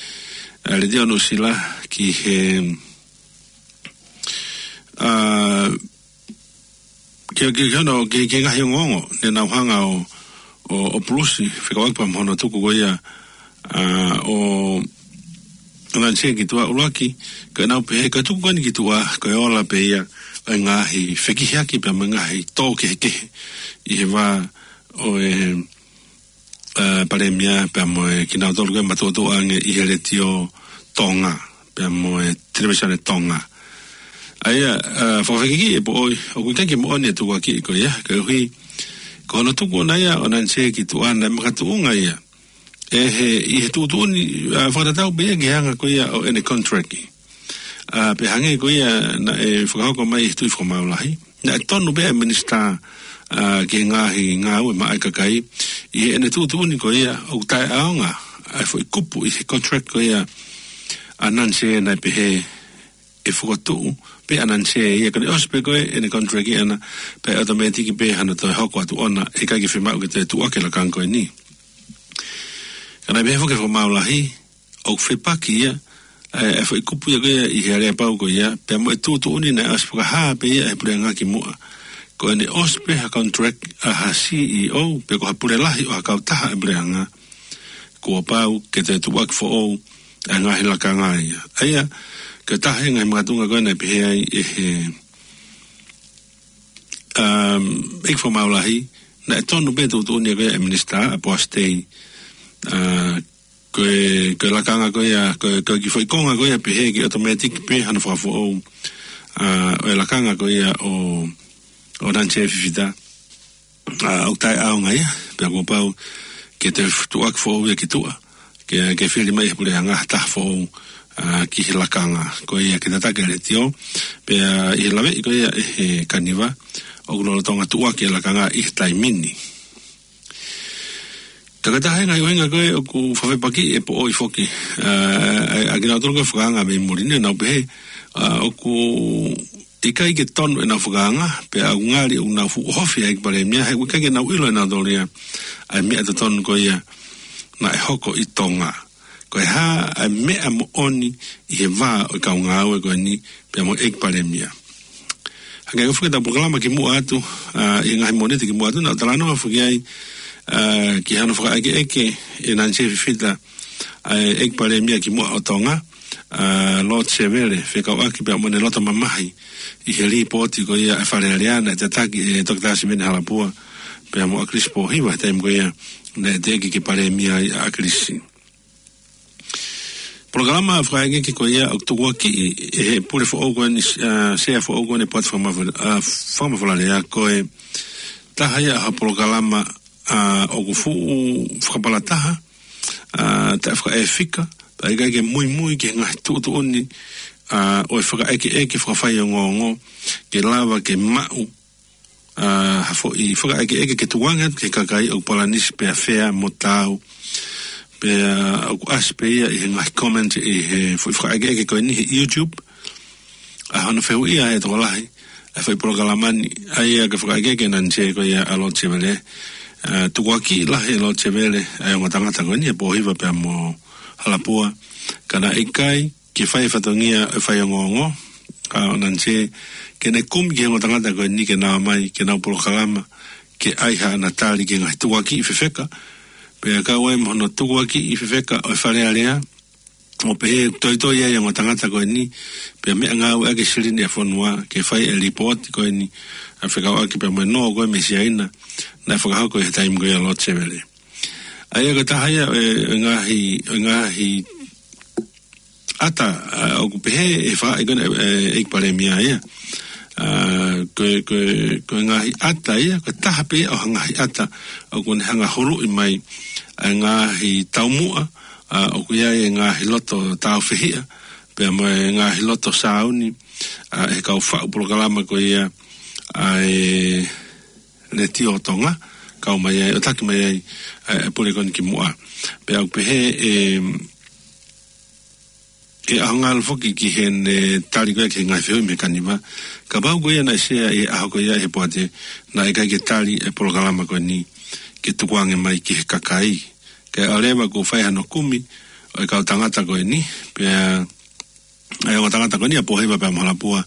ʻa e Letiō Nuʻusila ki he, ʻa, ki, ki, ki hono, ki, ki he ngaahi ongoongo ne nau hanga ʻo, ʻo, ʻo pulusi, fekauʻaki pea mo hono tuku ko ia, ʻa, ʻo Nansie ki tuʻa. ʻUluaki, ko ʻenau pehē, ko e tuku ko eni ki tuʻa, ko e ola pē ia ʻo e ngaahi fekihiaki pea mo e ngaahi tō kehekehe ʻi he vā ʻo e, ʻa, Palēmia pea mo e kinautolu ko ē matuʻotuʻa ange ʻi he Letiō Tonga, pea mo e Televīsone Tonga. ʻA ia, ʻa, fakafekiki ʻe Poʻoi, ʻoku ʻikai ke moʻoni e tukuakiʻi ko ia, koeʻuhi ko hono tuku ʻona ia ʻo Nansie ki tuʻa naʻe makatuʻunga ia ʻe he, ʻi he tuʻutuʻuni, ʻa, fakatatau pē ia ki he anga ko ia ʻo ʻene contract. ʻA, pea hangē ko ia naʻe fakahoko mai ʻi he Tuʻi Fakamaau Lahi, naʻe tonu pē ʻa e minisitā, ʻa, ki he ngaahi ngāue maʻa e kakai, ʻi heʻene tuʻutuʻuni ko ia ʻoku taʻeʻaonga ʻa e foʻi kupu ʻi he contract ko ia ʻa Nansie naʻe pehē ʻe fokotuʻu pē ʻa Nansie ia, ka ne ʻosi pē ko ē ʻene contract ʻana, pea ʻe automatic pē hano toe hoko atu ʻona, ʻe ʻikai ke fiemaʻu ke toe tuʻuaki e lakanga ko eni. Ka naʻe pehē foki ʻe he Fakamaau Lahi, ʻoku fepaki ia, ʻa e, ʻa e foʻi kupu ia ko ia ʻi he aleapau ko ia, pea mo e tuʻutuʻuni naʻe ʻosi fakahā pē ia ʻe he puleʻanga kimuʻa. Ko ʻene ʻosi pē ha contract ʻa ha C E O, pe ko ha pule lahi ʻo ha kautaha ʻa e puleʻanga, kuo pau ke toe tuʻuaki foʻou ʻa e ngaahi lakanga ia. ʻA ia, ko e taha e ngaahi makatuʻunga ko ē naʻe pehē ai ʻe he, um, ʻEiki Fakamaau Lahi, naʻe tonu pē e tuʻutuʻuni ko ia ʻa e minisitā, ʻa Poasi Tei, ʻa, ko e, ko e lakanga ko ia, ko e, ko e kiʻi foʻi konga ko ia pehē ke automatic pē hano fakafoʻou, ʻa, ʻo e lakanga ko ia ʻo, ʻo Nansie Fifita, ʻa, ʻoku taʻeʻaonga ia, pea kuo pau ke toe tuʻuaki foʻou ia ki tuʻa, ke, ke fili mai ʻe he puleʻanga ha taha foʻou, ʻa, ki he lakanga ko ia ke tataki e letiō, pea ʻi he laveʻi ko ia ʻe he kaniva, ʻoku lolotonga tuʻuaki e lakanga ʻi he taimi ni. Ka ko e taha e ngaahi ʻuhinga ko ē ʻoku fakafepakiʻi e poʻoi foki, ʻa, ʻa, ʻa kinautolu ko ē fakaanga mei muli ni, nau pehē, ʻa, ʻoku ʻikai ke tonu ʻenau fakaanga, pea ʻoku ngali ʻoku nau fuʻu ʻohofi ʻa e ʻEiki Palēmia, he ʻoku ʻikai ke nau ʻilo ʻe nautolu ia ʻa e meʻa totonu ko ia naʻe hoko ʻi Tonga. Ko e hā ʻa e meʻa moʻoni ʻi he vā ʻo e kau ngāue ko eni pea mo e ʻEiki Palēmia. Hangē ko e fuʻu polokalama kimuʻa atu, ʻa, ʻi he ngaahi miniti kimuʻa atu, naʻa ku talanoa foki ai, ʻa, ki hano fakaʻekeʻeke ʻe Nanisē Fifita ʻa e ʻEiki Palēmia kimuʻa ʻo Tonga, ʻa, Lord Sevele, fekauʻaki pea mo ʻene loto mamahi ʻi he lipooti ko ia ʻa e Fale Alea naʻe tataki ʻe Toketā Siveni Halapua pea mo ʻAkilisi Pōhiva, taimi ko ia naʻe teʻeki ke Palēmia ai ʻa ʻAkilisi. Polokalama fakaʻekeʻeke ko ia ʻoku tukuakiʻi ʻe he pule foʻou ko eni, ʻa, sea foʻou ko eni Poate Fakamafola-, ʻa, Fakamafolalea, ko e taha ia ha polokalama, ʻa, ʻoku fuʻu fakapalataha, ʻa, taʻefakaʻefika, pea ʻikai ke muimui ki he ngaahi tuʻutuʻuni, ʻa, ʻo e fakaʻekeʻeke fakafaiongoongo, ke lava ke maʻu ʻa, ha foʻi fakaʻekeʻeke ke tukuange atu ki he kakai ʻoku palanisi pea fea mo taau. Pea ʻoku ʻasi pē ia ʻi he ngaahi comment ʻi he foʻi fakaʻekeʻeke ko eni he YouTube. ʻA, hono fehuʻia ʻe he tokolahi ʻa e foʻi polokalama ni, ʻa ia ko e fakaʻekeʻeke ʻa Nanisē ko ia ʻa Lord Sevele. ʻA, tukuakiʻi lahi ʻe Lord Sevele ʻa e ongo tangata ko eni ʻa Pōhiva pea mo Halapua. Ka naʻe ʻikai ke fai e fatongia ʻo e faiongoongo, ʻa, ʻo Nanisē, ke ne kumi ki he ongo tangata ko eni ke nau ō mai, ke nau polokalama, ke ʻai haʻana tali ki he ngaahi tukuakiʻi fefeka, pea kau ai mo hono tukuakiʻi fefeka ʻo e Fale Alea, ʻo pehē toitoi ai e ongo tangata ko eni, pea meʻangāueʻaki e silini ʻa e fonua, ke fai e lipooti ko eni, ʻa, fekauʻaki pea mo e nō ko ē mei Siaina, naʻe fakahoko ʻi he taimi ko ia ʻa Lord Sevele. ʻA ia ko e taha ia ʻo e, ʻo e ngaahi, ʻo e ngaahi ʻata, ʻa, ʻoku pehē ʻe he fakaʻekeʻeke ko eni, ʻe, ʻEiki Palēmia ia. ʻA, ko e, ko e, ko e ngaahi ʻata ia, ko e taha pē ia ʻo e ngaahi ʻata ʻoku ne hanga ʻo huluʻi mai ʻa e ngaahi taumuʻa, ʻa, ʻoku ʻi ai e ngaahi loto tāufehiʻa, pea mo e ngaahi loto sāuni, ʻa, ʻe he kau faʻu polokalama ko ia ʻa e Letiō Tonga, kau mai ai, ʻo taki mai ai, ʻa, e pule ko eni kimuʻa. Pea ʻoku pehē ʻe, ʻe ʻAhongalo foki ki heʻene tali ko ia ki he ngaahi fehuʻi mei Kaniva. Kapau ko ia naʻe sea ʻi he ʻaho ko ia ʻe he Poate, naʻe ʻikai ke tali e polokalama ko eni ke tukuange mai ki he kakai. Kae ʻoua leva kuo fai hano kumi ʻo e kau tangata ko eni, pea ʻa e ongo tangata ko eni ʻa Pōhiva pea mo Halapua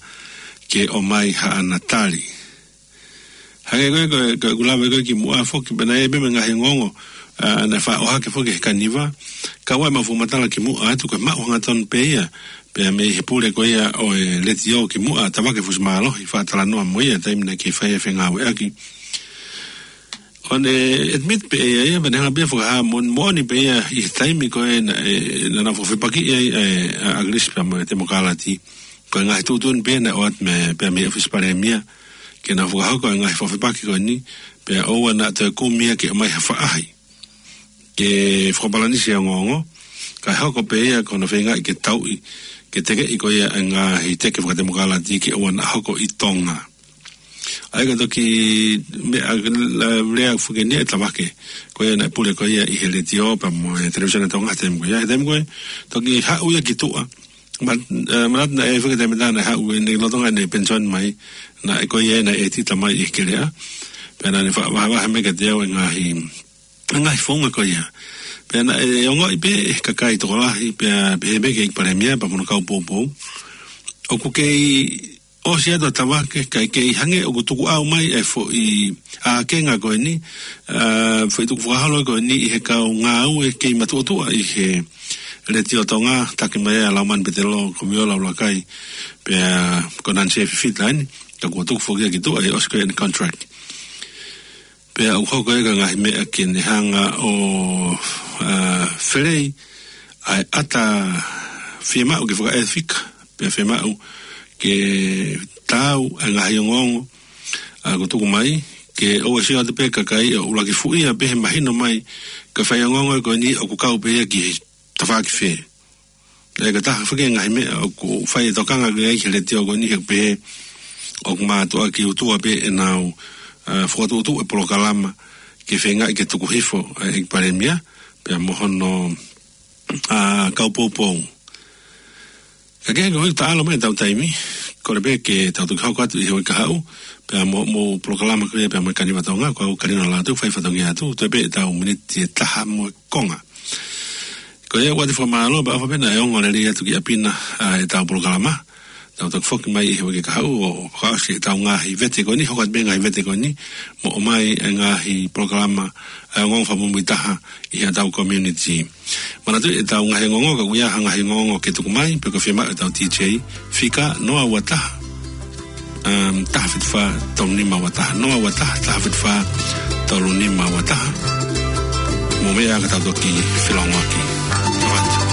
ke ʻomai haʻana tali. Hangē ko e, ko e, ko e ʻeku lave ko ē kimuʻa foki, pea naʻe ʻi ai pē mo e ngaahi ongoongo, ʻa, naʻe faʻa ʻohake foki ʻe he Kaniva, ka ʻoku ʻi ai ʻemau fakamatala kimuʻa atu ko e maʻu hangatonu pē ia, pea mei he pule ko ia ʻo e Letiō kimuʻa, Tavake Fusimālohi, faʻa talanoa mo ia, taimi naʻe kei fai e fengāueʻaki. ʻO ne admit pē ia, ia, pea ne hanga pē ʻo fakahā moʻoni, moʻoni pē ia ʻi he taimi ko ē naʻe, naʻa nau fakafepakiʻi ai, ʻa, ʻa ʻAkilisi pea mo e Temokalati. Ko e ngaahi tuʻutuʻuni pē naʻe ʻoatu mei, pea mei he ʻŌfisi Palēmia, ke nau fakahoko e ngaahi fakafepaki ko eni, pea ʻoua naʻa toe kumi ia ke ʻomai ha faʻahi ke fakapalanisi e ongoongo, kae hoko pē ia ko hono feingaʻi ke tauʻi, ke tekeʻi ko ia e ngaahi teke fakatemokalati ke ʻoua naʻa hoko ʻi Tonga. ʻA ia ko e toki meʻa, la, lea foki eni ʻa Tavake, ko ia naʻe pule ko ia ʻi he Letiō pea mo e Televīsone Tonga he taimi ko ia, he taimi ko ē, toki haʻu ia ki tuʻa. Ma, ʻa, manatu naʻe ʻi ai foki e taimi ʻe taha naʻe haʻu ʻene lolotonga ʻene penisoni mai, naʻe ko ia naʻe ʻētita mai ʻi he Kelea. Pea naʻa ne faʻa vahevahe mai kiate au e ngaahi, ngaahi founga ko ia. Pea naʻe ongoʻi pē ʻe he kakai tokolahi, pea pehē pē ki he ʻEiki Palēmia pea mo hono kau poupou, ʻoku kei ʻosi atu ʻa Tavake, kae kei hangē ʻoku tukuʻau mai e foʻi ʻākenga ko eni, ʻa, foʻi tukufakaholo ko eni ʻi he kau ngāue kei matuʻotuʻa ʻi he Letiō Tonga, taki mai ʻa Laumani Petelō, Komiola ʻUluakai, pea ko Nanisē Fifita eni, ka kuo tuku foki ia ki tuʻa ʻi he ʻosi ko ē ʻene contract. Pea ʻoku hoko ia ko e ngaahi meʻa ke ne hanga ʻo, ʻa, felei ʻa e ʻata fiemaʻu ke fakaʻefika, pea fiemaʻu ke taau ʻa e ngaahi ongoongo, ʻa, kuo tuku mai, ke ʻoua ʻe sio atu pē kakai ʻo ʻuluaki fuʻia pē he mahino mai ko e faiongoongo ko eni ʻoku kau pē ia ki he tafaʻaki fē. ʻA ia ko e taha foki e ngaahi meʻa ʻoku fai e tokanga ki ai ki he Letiō ko eni he pehē ʻoku mātuʻaki utua pē ʻenau, ʻa, fokotuʻutuʻu e polokalama ke feingaʻi ke tuku hifo ʻa e ʻEiki Palēmia, pea mo hono, ʻa, kau poupou. Ka ke hanga ʻo taʻalo mai ʻetau taimi, kole pē ke tau toki hoko atu ʻi he uike kahaʻu, pea mo, mo e polokalama ko ia, pea mo e Kaniva Tonga, ko au Kalina Lātū, fai fatongia atu, toe pē ʻetau miniti ʻe taha mo e konga. Ko ia ʻoku ʻoatu e fakamālō, pea ʻofa pē naʻe ongo lelei atu ki ʻapi na, ʻa, ʻetau polokalama. Tau toki foki mai ʻi he uike kahaʻu ʻo fakaʻosi ʻetau ngaahi vete ko eni, hoko atu pē ngaahi vete ko eni, mo ʻomai e ngaahi polokalama, ʻa e ongoongo fakamuimui taha ʻi heʻetau community. Manatuʻi ʻetau ngaahi ongoongo, ka ʻoku ʻi ai ha ngaahi ongoongo ke tuku mai, pe ko e fiemaʻu ʻetau D J, fika noa ua taha, um, taha fitu fā tolu nima ua taha, noa ua taha, taha fitu fā tolu nima ua taha. Mou meʻa ka tau toki felongoaki. Noa atu.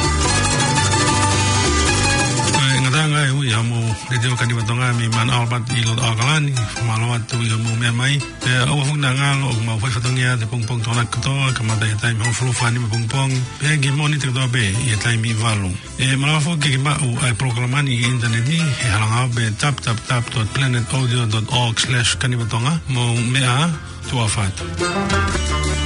ʻA e ngataʻanga ʻe ui ʻa mo Letiō Kaniva Tonga mei Mount Albert ʻi loto ʻAokalani, fakamālō atu ʻi hoʻomou meʻa mai. Pea ʻoua foki naʻa ngalo ʻoku mau fai fatongia ʻi he pongipongi Tokonaki kotoa, kamata ʻi he taimi hongofulu fā nima pongipongi, pea ki he Mōnite kotoa pē ʻi he taimi ʻe valu. ʻE malava foki ke ke maʻu ʻa e polokalama ni ʻi he ʻinitaneti, he halanga pē www dot planet audio dot org slash kanivatonga, mou meʻa ā, tuʻa ʻofa atu.